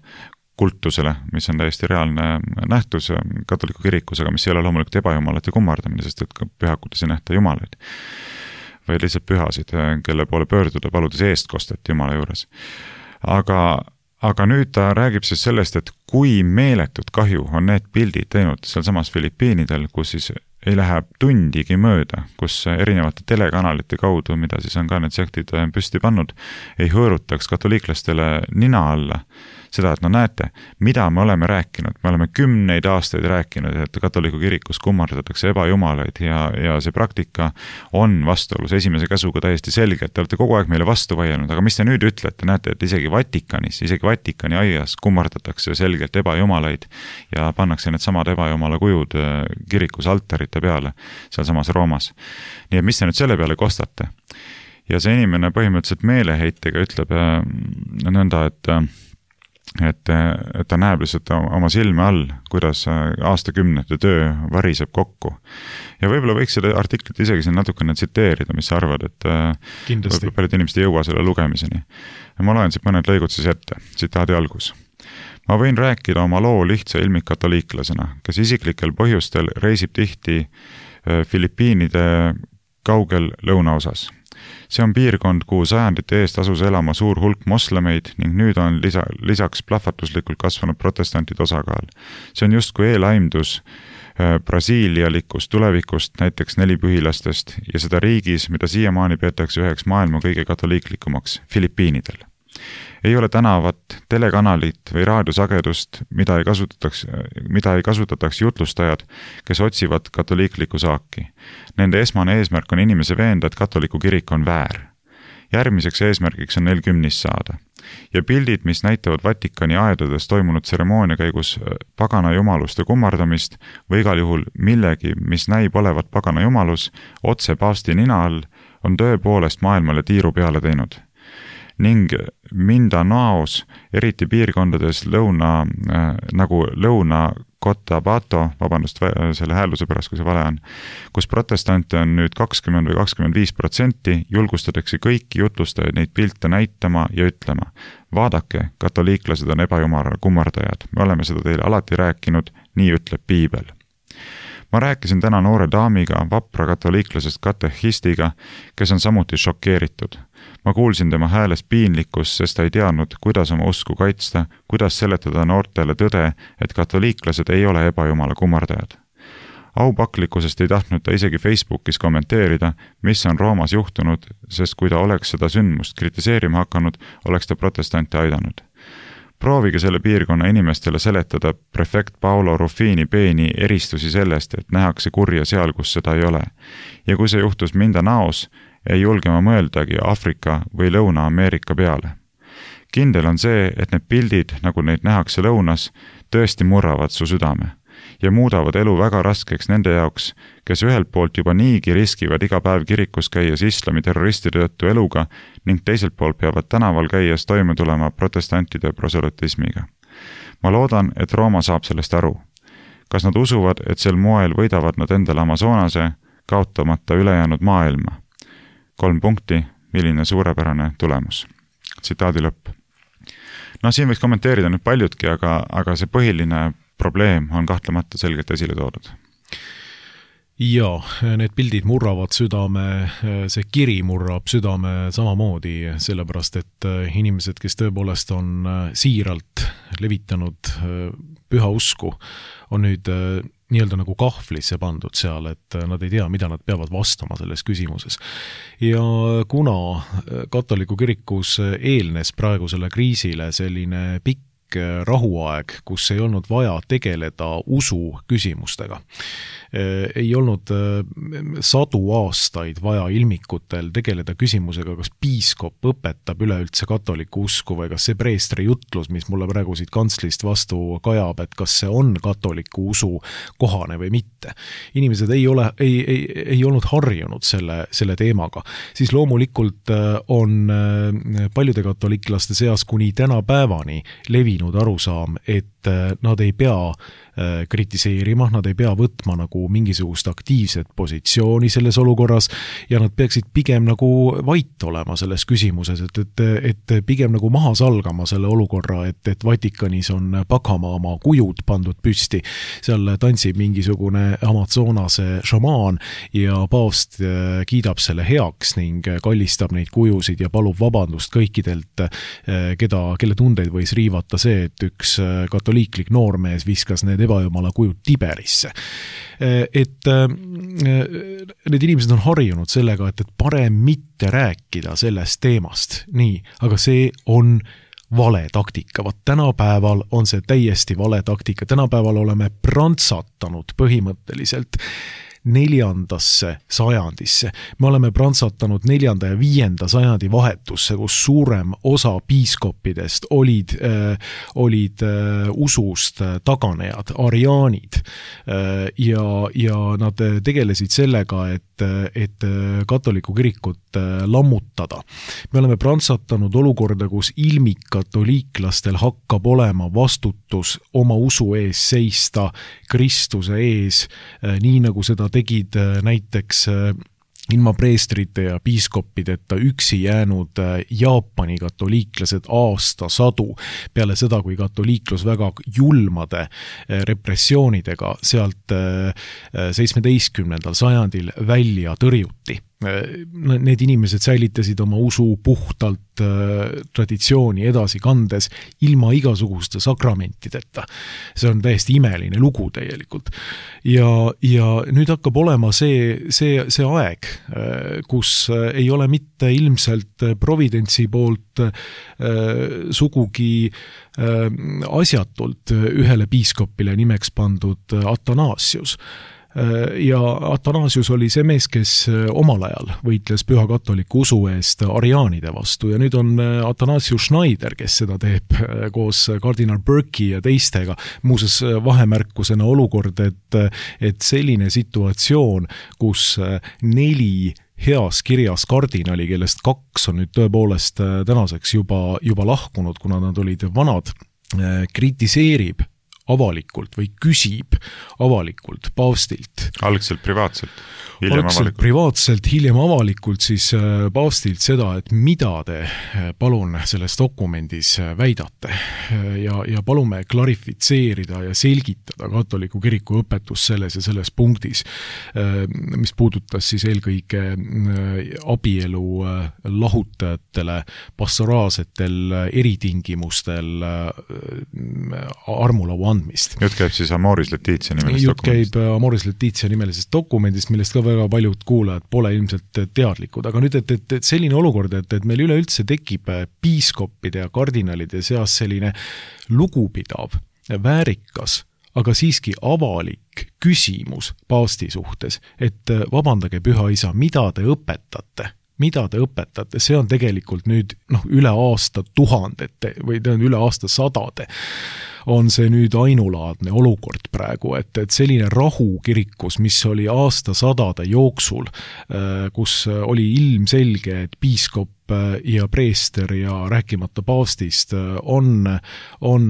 Speaker 2: kultusele, mis on täiesti reaalne nähtus katoliku kirikus, aga mis ei ole loomulikult ebajumalate kummardamine, sest et pühakutes ei nähta jumalaid, või lihtsalt pühasid, kelle poole pöörduda paludes eestkostet jumala juures. Aga, aga nüüd ta räägib siis sellest, et kui meeletut kahju on need pildid teinud seal samas Filipiinidel, kus siis ei lähe tundigi mööda, kus erinevate telekanalite kaudu, mida siis on ka need sektid püsti pannud, ei hõõrutaks katoliiklastele nina alla seda, et no näete, mida me oleme rääkinud. Me oleme kümneid aastaid rääkinud, et katoliku kirikus kummardatakse ebajumalaid ja, ja see praktika on vastuolus esimese käsuga täiesti selge, et te olete kogu aeg meile vastu vaielnud, aga mis te nüüd ütlete? Näete, et isegi Vatikanis, isegi Vatikani aias kummardatakse selgelt ebajumalaid ja pannakse need samad ebajumala kujud kirikus altarite peale, seal samas Roomas. Nii et mis te nüüd selle peale kostate? Ja see inimene põhimõtteliselt meeleheitega ütleb nõnda, et Et, et ta näeb lihtsalt oma silme all, kuidas aastakümnete töö variseb kokku. Ja võib-olla võiks seda artiklit isegi siin natukene tsiteerida, mis sa arvad, et
Speaker 3: kindlasti
Speaker 2: paljud inimesed ei jõua selle lugemiseni. Ja ma loen siit mõned lõigud siis ette, tsitaadi algus. Ma võin rääkida oma loo lihtsa ilmikkatoliiklasena, kes isiklikel põhjustel reisib tihti Filipiinide kaugel lõunaosas. See on piirkond, kuhu sajandite eest asus elama suur hulk moslemeid ning nüüd on lisa, lisaks plahvatuslikult kasvanud protestantide osakaal. See on justkui eelaimdus brasiilialikust tulevikust, näiteks nelipühilastest ja seda riigis, mida siiamaani peetakse üheks maailma kõige katoliiklikumaks, Filipiinidel. Ei ole tänavat, telekanalit või raadiosagedust, mida ei kasutataks, mida ei kasutataks jutlustajad, kes otsivad katoliikliku saaki. Nende esmane eesmärk on inimese veenda, et katoliku kirik on väär. Järgmiseks eesmärgiks on neil kümnis saada. Ja pildid, mis näitavad Vatikani aedades toimunud tseremoonia käigus pagana jumaluste kummardamist või igal juhul millegi, mis näib olevat pagana jumalus, otse paavsti nina all, on tõepoolest maailmale tiiru peale teinud. Ning Mindanaos, eriti piirkondades lõuna, äh, nagu lõuna Cotabato, vabandust selle häälduse pärast, kui see vale on, kus protestante on nüüd kakskümmend või kakskümmend viis protsenti, julgustatakse kõiki jutlustajaid neid pilte näitama ja ütlema: vaadake, katoliiklased on ebajumala kummardajad, me oleme seda teile alati rääkinud, nii ütleb piibel. Ma rääkisin täna noore daamiga, vapra katoliiklasest katehistiga, kes on samuti šokeeritud. Ma kuulsin tema häälest piinlikkus, sest ta ei teadnud, kuidas oma usku kaitsta, kuidas seletada noortele tõde, et katoliiklased ei ole ebajumala kummardajad. Aupaklikkusest ei tahtnud ta isegi Facebookis kommenteerida, mis on Roomas juhtunud, sest kui ta oleks seda sündmust kritiseerima hakanud, oleks ta protestante aidanud. Proovige selle piirkonna inimestele seletada prefekt Paolo Ruffini peeni eristusi sellest, et nähakse kurja seal, kus seda ei ole. Ja kui see juhtus Mindanaos, ei julge ma mõeldagi Afrika või Lõuna-Ameerika peale. Kindel on see, et need pildid, nagu neid nähakse lõunas, tõesti murravad su südame ja muudavad elu väga raskeks nende jaoks, kes ühelt poolt juba niigi riskivad iga päev kirikus käies islami terroristide tõttu eluga ning teiselt poolt peavad tänaval käies toime tulema protestantide proselytismiga. Ma loodan, et Rooma saab sellest aru. Kas nad usuvad, et sel moel võidavad nad endale Amazonase, kaotamata ülejäänud maailma? Kolm punkti, milline suurepärane tulemus. Tsitaadi lõpp. No siin võiks kommenteerida nüüd paljudki, aga, aga see põhiline probleem on kahtlemata selgelt esile toodud.
Speaker 3: Ja, need pildid murravad südame, see kiri murrab südame samamoodi, sellepärast et inimesed, kes tõepoolest on siiralt levitanud püha usku, on nüüd nii-öelda nagu kahvlisse pandud seal, et nad ei tea, mida nad peavad vastama selles küsimuses. Ja kuna katoliku kirikus eelnes praegusele kriisile selline pikk rahuaeg, kus ei olnud vaja tegeleda usu küsimustega. Ei olnud sadu aastaid vaja ilmikutel tegeleda küsimusega, kas piiskop õpetab üleüldse katoliku usku või kas see preestri jutlus, mis mulle praegu siit kantslist vastu kajab, et kas see on katoliku usu kohane või mitte. Inimesed ei ole, ei, ei, ei olnud harjunud selle, selle teemaga. Siis loomulikult on paljude katoliklaste seas kuni täna päevani levinud arusaam, et nad ei pea kritiseerima, nad ei pea võtma nagu mingisugust aktiivset positsiooni selles olukorras ja nad peaksid pigem nagu vait olema selles küsimuses, et, et, et pigem nagu maha salgama selle olukorra, et, et Vatikanis on Pakama oma kujud pandud püsti, seal tantsib mingisugune Amazonase šamaan ja paavst kiidab selle heaks ning kallistab neid kujusid ja palub vabandust kõikidelt, keda, kelle tundeid võis riivata see, et üks katoliiklik noormees viskas need ebajumala kujud Tiberisse. Et need inimesed on harjunud sellega, et, et parem mitte rääkida sellest teemast. Nii, aga see on vale taktika. Vaat tänapäeval on see täiesti vale taktika. Tänapäeval oleme prantsatanud põhimõtteliselt neljandasse sajandisse. Me oleme prantsatanud neljanda ja viienda sajandi vahetusse, kus suurem osa piiskoppidest olid, äh, olid äh, usust taganejad, ariaanid äh, ja, ja nad tegelesid sellega, et, et katoliku kirikut lammutada. Me oleme prantsatanud olukorda, kus ilmikatoliiklastel hakkab olema vastutus oma usu ees seista Kristuse ees, äh, nii nagu seda tegid näiteks ilma preestrite ja piiskoppideta üksi jäänud Jaapani katoliiklased aastasadu peale seda, kui katoliiklus väga julmade repressioonidega sealt seitsmeteistkümnendal sajandil välja tõrjuti. Need inimesed säilitasid oma usu puhtalt traditsiooni edasi kandes ilma igasuguste sakramentideta. See on täiesti imeline lugu tegelikult. Ja, ja nüüd hakkab olema see, see, see aeg, kus ei ole mitte ilmselt providentsi poolt sugugi asjatult ühele piiskopile nimeks pandud Athanasius. Ja Athanasius oli see mees, kes omal ajal võitles püha katoliku usu eest ariaanide vastu ja nüüd on Athanasius Schneider, kes seda teeb koos kardinal Burke'i ja teistega. Muuses vahemärkusena olukord, et, et selline situatsioon, kus neli heas kirjas kardinali, kellest kaks on nüüd tõepoolest tänaseks juba, juba lahkunud, kuna nad olid vanad, kritiseerib avalikult või küsib avalikult paavstilt.
Speaker 2: Algselt privaatselt, hiljem
Speaker 3: Algselt
Speaker 2: avalikult.
Speaker 3: privaatselt, hiljem avalikult siis paavstilt seda, et mida te palun selles dokumendis väidate ja, ja palume klarifitseerida ja selgitada katoliku kiriku õpetus selles ja selles punktis, mis puudutas siis eelkõige abielu lahutajatele pastoraalsetel eritingimustel armulaua andmist.
Speaker 2: Jutt käib siis Amoris Laetitia nimelisest
Speaker 3: Jutt
Speaker 2: dokumendist.
Speaker 3: käib Amoris Laetitia nimelisest dokumendist, millest ka väga paljud kuulajad pole ilmselt teadlikud. Aga nüüd, et, et, et selline olukord, et, et meil üleüldse tekib piiskoppide ja kardinalide seas selline lugupidav, väärikas, aga siiski avalik küsimus paavsti suhtes, et vabandage, püha isa, mida te õpetate? mida te õpetate, see on tegelikult nüüd noh, üle aasta tuhandete või üle aasta sadade on see nüüd ainulaadne olukord praegu, et, et selline rahu kirikus, mis oli aastasadade jooksul, kus oli ilmselge, et piiskop ja preester ja rääkimata paavstist on, on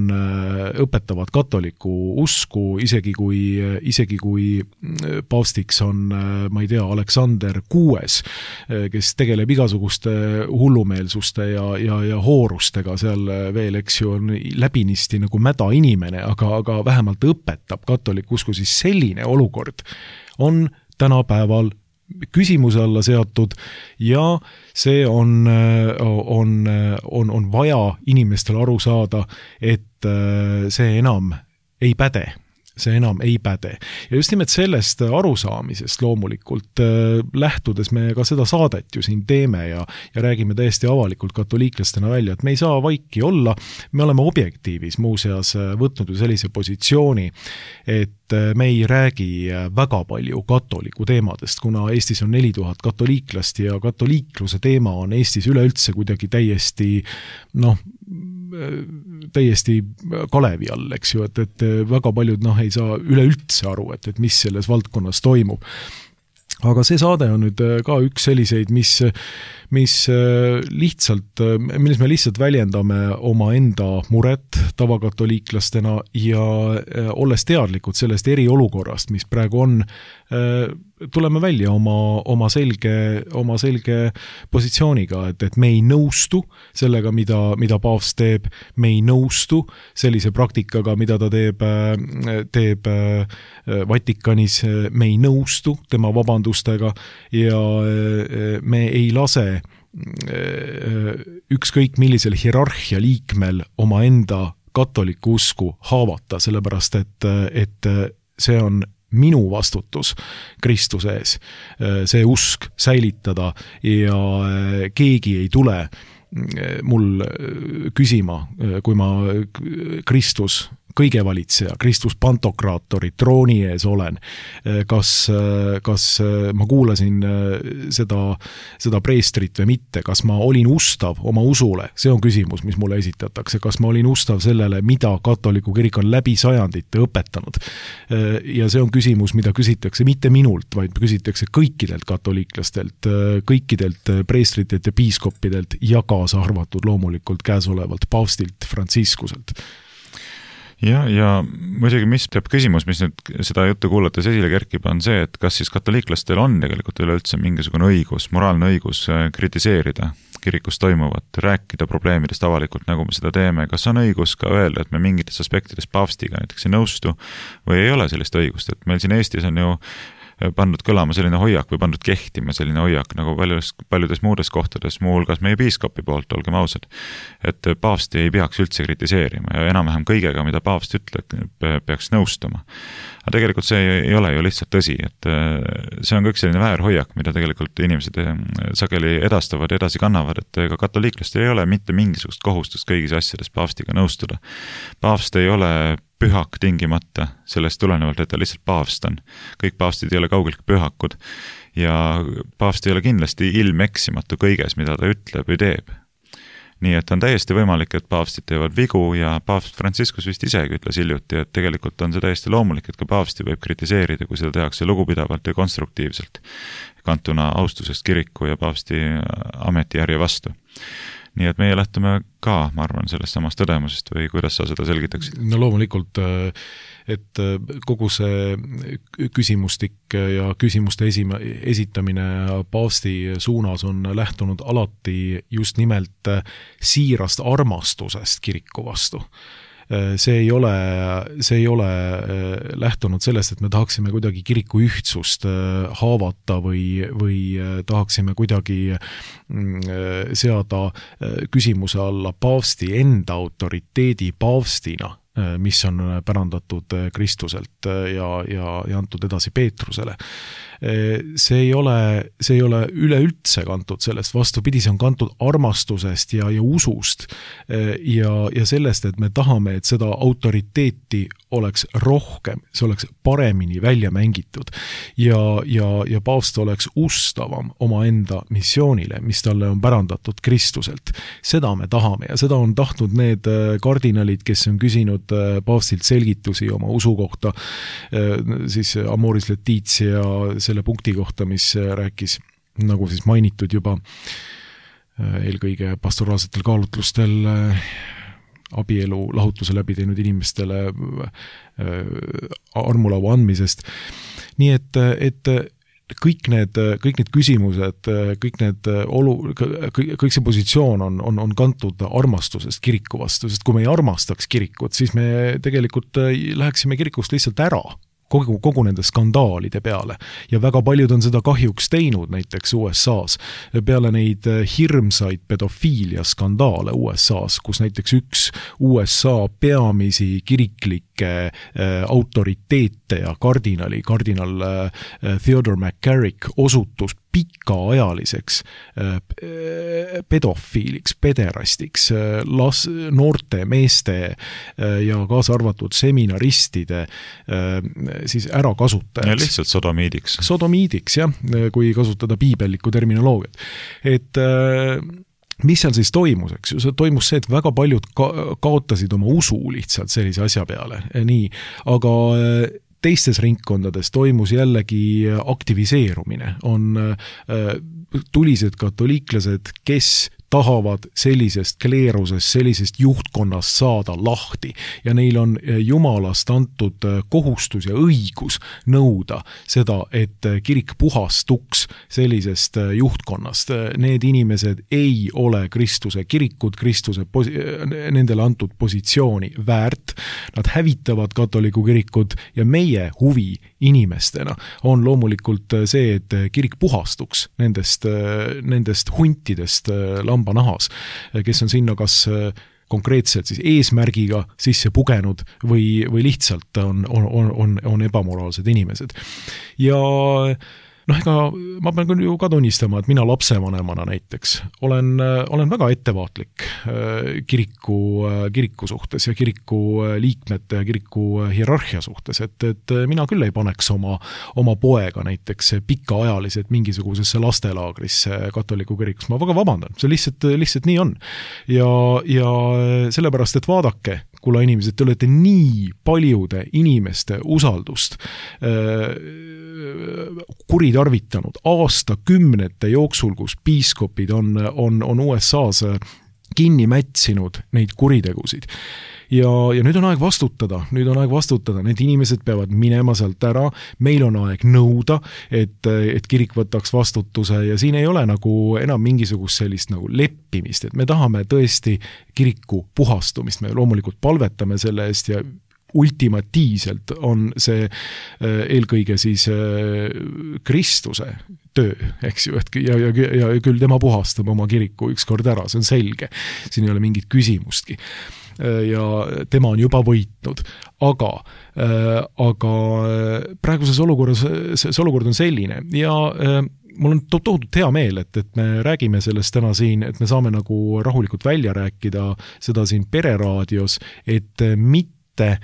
Speaker 3: õpetavad katoliku usku, isegi kui, isegi kui paavstiks on, ma ei tea, Aleksander kuues, kes tegeleb igasuguste hullumeelsuste ja, ja, ja hoorustega seal veel, eks ju, on läbinisti nagu mäda inimene, aga, aga vähemalt õpetab katoliku usku, siis selline olukord on tänapäeval küsimuse alla seatud ja see on, on, on, on vaja inimestel aru saada, et see enam ei päde. see enam ei päde. Ja just nimelt sellest arusaamisest loomulikult äh, lähtudes me ka seda saadet ju siin teeme ja, ja räägime täiesti avalikult katoliiklastena välja, et me ei saa vaiki olla, me oleme objektiivis muuseas võtnud ju sellise positsiooni, et me ei räägi väga palju katoliku teemadest, kuna Eestis on neli tuhat katoliiklast ja katoliikluse teema on Eestis üleüldse kuidagi täiesti noh, täiesti kalevi all, eks ju, et, et väga paljud noh, ei saa üleüldse aru, et, et mis selles valdkonnas toimub. Aga see saade on nüüd ka üks selliseid, mis, mis lihtsalt, milles me lihtsalt väljendame oma enda muret tavakatoliiklastena ja olles teadlikud sellest eriolukorrast, mis praegu on, tuleme välja oma, oma, selge, oma selge positsiooniga, et, et me ei nõustu sellega, mida, mida paavst teeb, me ei nõustu sellise praktikaga, mida ta teeb, teeb Vatikanis, me ei nõustu tema vabandustega ja me ei lase ükskõik millisel hierarhia liikmel oma enda katoliku usku haavata, sellepärast et, et see on minu vastutus Kristuse ees, see usk säilitada ja keegi ei tule mul küsima, kui ma Kristus kõige valitseja, Kristus pantokraatori trooni ees olen, kas, kas ma kuulasin seda, seda preestrit või mitte, kas ma olin ustav oma usule, see on küsimus, mis mulle esitatakse, kas ma olin ustav sellele, mida katoliku kirik on läbi sajandite õpetanud. Ja see on küsimus, mida küsitakse mitte minult, vaid küsitakse kõikidelt katoliiklastelt, kõikidelt preestritelt ja piiskoppidelt ja kaasa arvatud loomulikult käesolevalt paavstilt Franciscuselt.
Speaker 2: Ja, ja muidugi, mis teeb küsimus, mis nüüd seda juttu kuulates esile kerkib, on see, et kas siis katoliiklastel on tegelikult üleüldse mingisugune õigus, moraalne õigus kritiseerida kirikus toimuvat, rääkida probleemidest avalikult, nagu me seda teeme, kas on õigus ka öelda, et me mingites aspektides paavstiga näiteks ei nõustu või ei ole sellist õigust, et meil siin Eestis on ju pandud kõlama selline hoiak või pandud kehtima selline hoiak nagu paljudes, paljudes muudes kohtades, muuhulgas meie piiskopi poolt, olgem ausad, et paavsti ei peaks üldse kritiseerima ja enam-vähem kõigega, mida paavst ütleb, peaks nõustuma. Aga tegelikult see ei ole ju lihtsalt tõsi, et see on kõik selline väärhoiak, mida tegelikult inimesed sageli edastavad, edasi kannavad, et ega katoliiklastel ei ole mitte mingisugust kohustust kõigis asjades paavstiga nõustuda. Paavst ei ole pühak tingimata, sellest tulenevalt, et ta lihtsalt paavst on. Kõik paavstid ei ole kaugeltki pühakud ja paavst ei ole kindlasti ilmeksimatu kõiges, mida ta ütleb või teeb. Nii et on täiesti võimalik, et paavstid teevad vigu ja paavst Franciscus vist isegi ütles hiljuti, et tegelikult on see täiesti loomulik, et ka paavsti võib kritiseerida, kui seda tehakse lugupidavalt ja konstruktiivselt, kantuna austusest kiriku ja paavsti ametijärje vastu. nii et meie lähtume ka, ma arvan, sellest samast tõdemusest või kuidas sa seda selgitaksid?
Speaker 3: No loomulikult, et kogu see küsimustik ja küsimuste esima, esitamine paavsti suunas on lähtunud alati just nimelt siirast armastusest kiriku vastu. See ei ole, see ei ole lähtunud sellest, et me tahaksime kuidagi kiriku ühtsust haavata või, või tahaksime kuidagi seada küsimuse alla paavsti enda autoriteedi paavstina, mis on pärandatud Kristuselt ja, ja, ja antud edasi Peetrusele. See ei ole, see ei ole üleüldse kantud sellest, vastupidi, see on kantud armastusest ja, ja usust ja, ja sellest, et me tahame, et seda autoriteeti oleks rohkem, see oleks paremini välja mängitud ja, ja, ja paavst oleks ustavam oma enda missioonile, mis talle on pärandatud Kristuselt. Seda me tahame ja seda on tahtnud need kardinalid, kes on küsinud paavstilt selgitusi oma usu kohta, siis Amoris Laetitia selle punkti kohta, mis rääkis, nagu siis mainitud juba, eelkõige pastoraalsetel kaalutlustel abielu lahutuse läbi teinud inimestele armulaua andmisest. Nii et, et kõik need, kõik need küsimused, kõik need olu, kõik, kõik see positsioon on, on, on kantud armastusest kiriku vastu, sest kui me ei armastaks kirikut, siis me tegelikult läheksime kirikust lihtsalt ära. Kogu, kogu nende skandaalide peale ja väga paljud on seda kahjuks teinud näiteks U S A-s peale neid hirmsaid pedofiilia skandaale U S A-s, kus näiteks üks U S A peamisi kiriklikke äh, autoriteete ja kardinali, kardinal äh, Theodore McCarrick osutus pikaajaliseks äh, pedofiiliks, pederastiks, äh, las, noorte meeste äh, ja kaasa arvatud seminaristide äh, siis ära kasutajaks.
Speaker 2: Ja lihtsalt sodomiidiks.
Speaker 3: Sodomiidiks, jah, kui kasutada piibellikku terminoloogiat. Et mis seal siis toimus, eks ju? See toimus see, et väga paljud ka- kaotasid oma usu lihtsalt sellise asja peale. Nii, aga teistes ringkondades toimus jällegi aktiviseerumine. On tulised katoliiklased, kes tahavad sellisest kleerusest, sellisest juhtkonnast saada lahti ja neil on Jumalast antud kohustus ja õigus nõuda seda, et kirik puhastuks sellisest juhtkonnast. Need inimesed ei ole Kristuse kirikud, Kristuse pos- nendele antud positsiooni väärt. Nad hävitavad katoliku kirikud ja meie huvi inimestena on loomulikult see, et kirik puhastuks nendest, nendest huntidest lamba nahas, kes on sinna kas konkreetselt siis eesmärgiga sisse pugenud või, või lihtsalt on, on, on, on ebamoraalsed inimesed. Ja noh, ega ma pean küll ju ka tunnistama, et mina lapsevanemana näiteks olen, olen väga ettevaatlik kiriku, kiriku suhtes ja kiriku liikmete ja kiriku hierarhia suhtes, et, et mina küll ei paneks oma, oma poega näiteks pikaajaliselt mingisugusesse lastelaagrisse katoliku kirikus. Ma väga vabandan, see lihtsalt, lihtsalt nii on. Ja, ja sellepärast, et vaadake, kulla inimesed, te olete nii paljude inimeste usaldust kuritarvitanud aastakümnete jooksul, kus piiskopid on, on, on U S A-s kinni mätsinud neid kuritegusid. Ja, ja nüüd on aeg vastutada, nüüd on aeg vastutada, need inimesed peavad minema sealt ära, meil on aeg nõuda, et, et kirik võtaks vastutuse ja siin ei ole nagu enam mingisugust sellist nagu leppimist, et me tahame tõesti kiriku puhastumist, me loomulikult palvetame selle eest ja ultimatiivselt on see eelkõige siis Kristuse töö, eks ju, et ja, ja, ja küll tema puhastab oma kiriku ükskord ära, see on selge, siin ei ole mingit küsimustki. Ja tema on juba võitnud, aga, aga praeguses olukorras, see olukord on selline ja mul on tohutult hea meel, et, et me räägime sellest täna siin, et me saame nagu rahulikult välja rääkida seda siin pereraadios, et mitte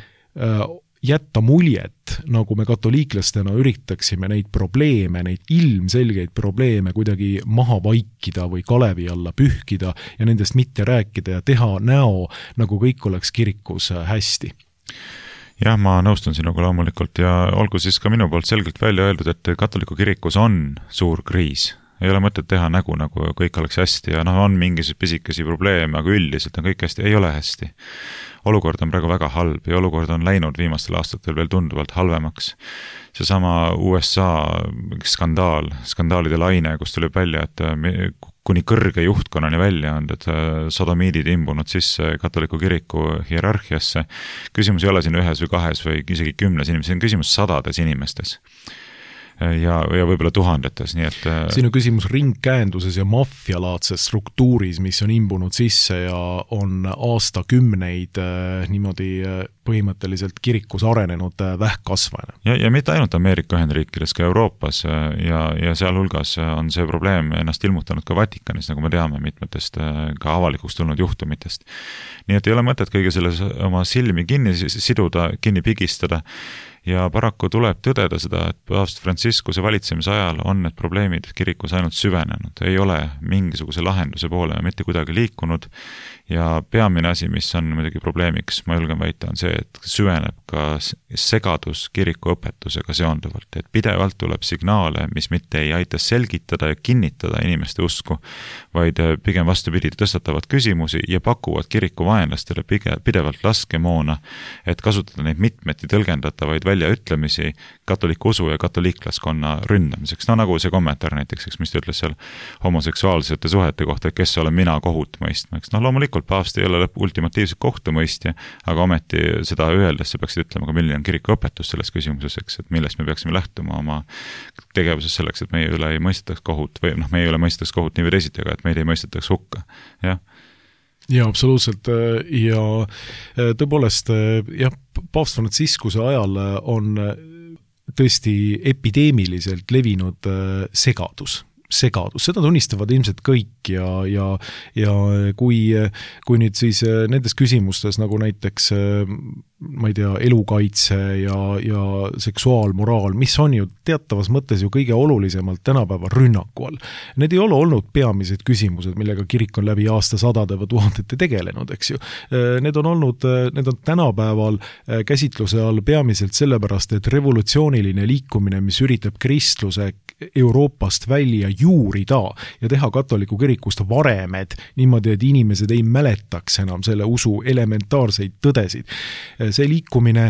Speaker 3: jätta muljet, nagu me katoliiklastena üritaksime neid probleeme, neid ilmselgeid probleeme kuidagi maha vaikida või kalevi alla pühkida ja nendest mitte rääkida ja teha näo, nagu kõik oleks kirikus hästi.
Speaker 2: Jah, ma nõustun sinuga loomulikult ja olgu siis ka minu poolt selgelt välja öeldud, et katoliku kirikus on suur kriis. ei ole mõtet teha nägu, nagu kõik oleks hästi ja noh, on mingisuguseid pisikesi probleeme, aga üldiselt on kõik hästi, ei ole hästi. Olukord on praegu väga halb ja olukord on läinud viimastel aastatel veel tunduvalt halvemaks. Seesama U S A skandaal, skandaalide laine, kus tuli välja, et kuni kõrge juhtkonnani välja on, et sodomiidid imbunud sisse katoliku kiriku hierarhiasse. Küsimus ei ole siin ühes või kahes või isegi kümnes inimestes, siin küsimus sadades inimestes. Ja, ja võib-olla tuhandetes, nii et...
Speaker 3: Siin on küsimus ringkäenduses ja maffialaadses struktuuris, mis on imbunud sisse ja on aastakümneid niimoodi põhimõtteliselt kirikus arenenud vähkkasvane.
Speaker 2: Ja, ja mitte ainult Ameerika Ühendriikides, ka Euroopas ja, ja sealhulgas on see probleem ennast ilmutanud ka Vatikanis, nagu me teame mitmetest ka avalikuks tulnud juhtumitest. Nii et ei ole mõtet kõige selles oma silmi kinni siduda, kinni pigistada. Ja paraku tuleb tõdeda seda, et paavst Franciscuse valitsemise ajal on need probleemid kirikus ainult süvenenud. Ei ole mingisuguse lahenduse poole mitte kuidagi liikunud ja peamine asi, mis on muidugi probleemiks, ma julgen väita, on see, et süveneb ka segadus kiriku õpetusega seonduvalt. Et pidevalt tuleb signaale, mis mitte ei aita selgitada ja kinnitada inimeste usku, vaid pigem vastupidi tõstatavad küsimusi ja pakuvad kiriku vaenlastele pidevalt laskemoona, et kasutada neid mitmeti tõlgendatavaid väljaütlemisi katoliku usu ja katoliiklaskonna ründamiseks. No nagu see kommentaar näiteks, mis ta ütles seal homoseksuaalsete suhete kohta, et kes olen mina kohut mõistmaks. No loomulikult paavst ei ole ultimatiivselt kohtumõistja, aga ometi seda öeldes sa peaksid ütlema ka milline on kiriku õpetus selles küsimuses, eks, et millest me peaksime lähtuma oma tegevuses selleks, et meie üle ei mõistetaks kohut või noh, meie üle mõistetaks kohut nii või teisiti, aga et meid ei mõistetaks hukka. Jah.
Speaker 3: Ja absoluutselt ja tõepoolest jah, paavst Franciscuse ajal on tõesti epideemiliselt levinud segadus. segadus, seda tunnistavad ilmselt kõik ja, ja, ja kui, kui nüüd siis nendes küsimustes nagu näiteks ma ei tea, elukaitse ja, ja seksuaalmoraal, mis on ju teatavas mõttes ju kõige olulisemalt tänapäeva rünnaku all. Need ei ole olnud peamised küsimused, millega kirik on läbi aastasadade või tuhandete tegelenud, eks ju. Need on olnud, need on tänapäeval käsitluse all peamiselt sellepärast, et revolutsiooniline liikumine, mis üritab kristluse Euroopast välja juurida ja teha katoliku kirikust varemed niimoodi, et inimesed ei mäletaks enam selle usu elementaarseid tõdesid. See liikumine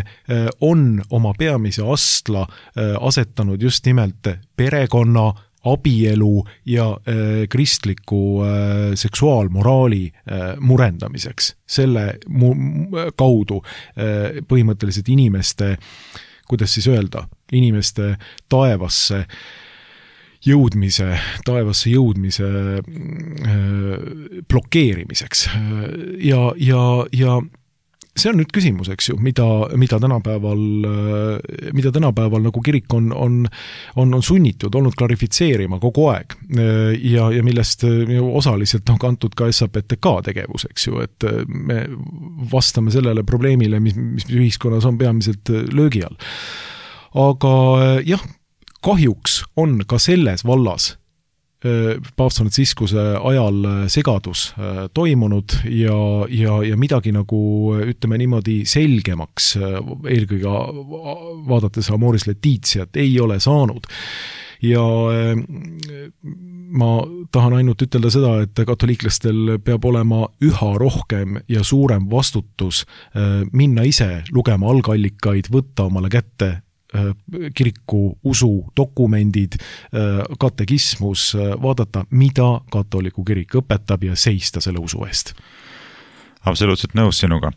Speaker 3: on oma peamise astla asetanud just nimelt perekonna, abielu ja kristliku seksuaalmoraali murendamiseks. Selle kaudu põhimõtteliselt inimeste, kuidas siis öelda, inimeste taevasse jõudmise, taevasse jõudmise blokeerimiseks. Ja, ja, ja see on nüüd küsimus, eks ju, mida, mida tänapäeval, mida tänapäeval nagu kirik on, on, on, on sunnitud olnud klarifitseerima kogu aeg ja, ja millest osaliselt on kantud ka S A P T K tegevus, eks ju, et me vastame sellele probleemile, mis, mis ühiskonnas on peamiselt löögi all. Aga jah, kahjuks on ka selles vallas paavst Franciscuse ajal segadus toimunud ja, ja, ja midagi nagu, ütleme niimoodi, selgemaks eelkõige vaadates Amoris Laetitiat ei ole saanud. Ja ma tahan ainult ütelda seda, et katoliiklastel peab olema üha rohkem ja suurem vastutus minna ise lugema algallikaid, võtta omale kätte kiriku usu dokumendid, katekismus, vaadata, mida katoliku kirik õpetab ja seista selle usu eest.
Speaker 2: Absoluutselt nõus sinuga.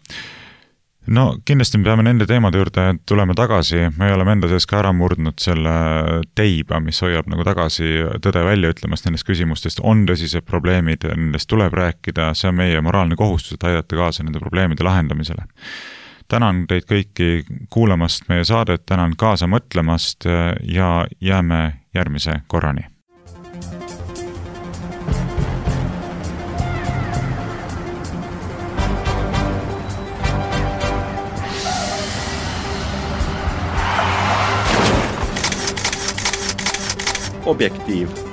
Speaker 2: No kindlasti me peame nende teemade juurde tulema tagasi, me oleme enda sees ka ära murdnud selle teiba, mis hoiab nagu tagasi tõde välja ütlemast nendest küsimustest, on tõsised probleemid, nendest tuleb rääkida, see on meie moraalne kohustus, et aidata kaasa nende probleemide lahendamisele. Tänan teid kõiki kuulamast meie saadet, tänan kaasa mõtlemast ja jääme järgmise korrani.
Speaker 1: Objektiiv.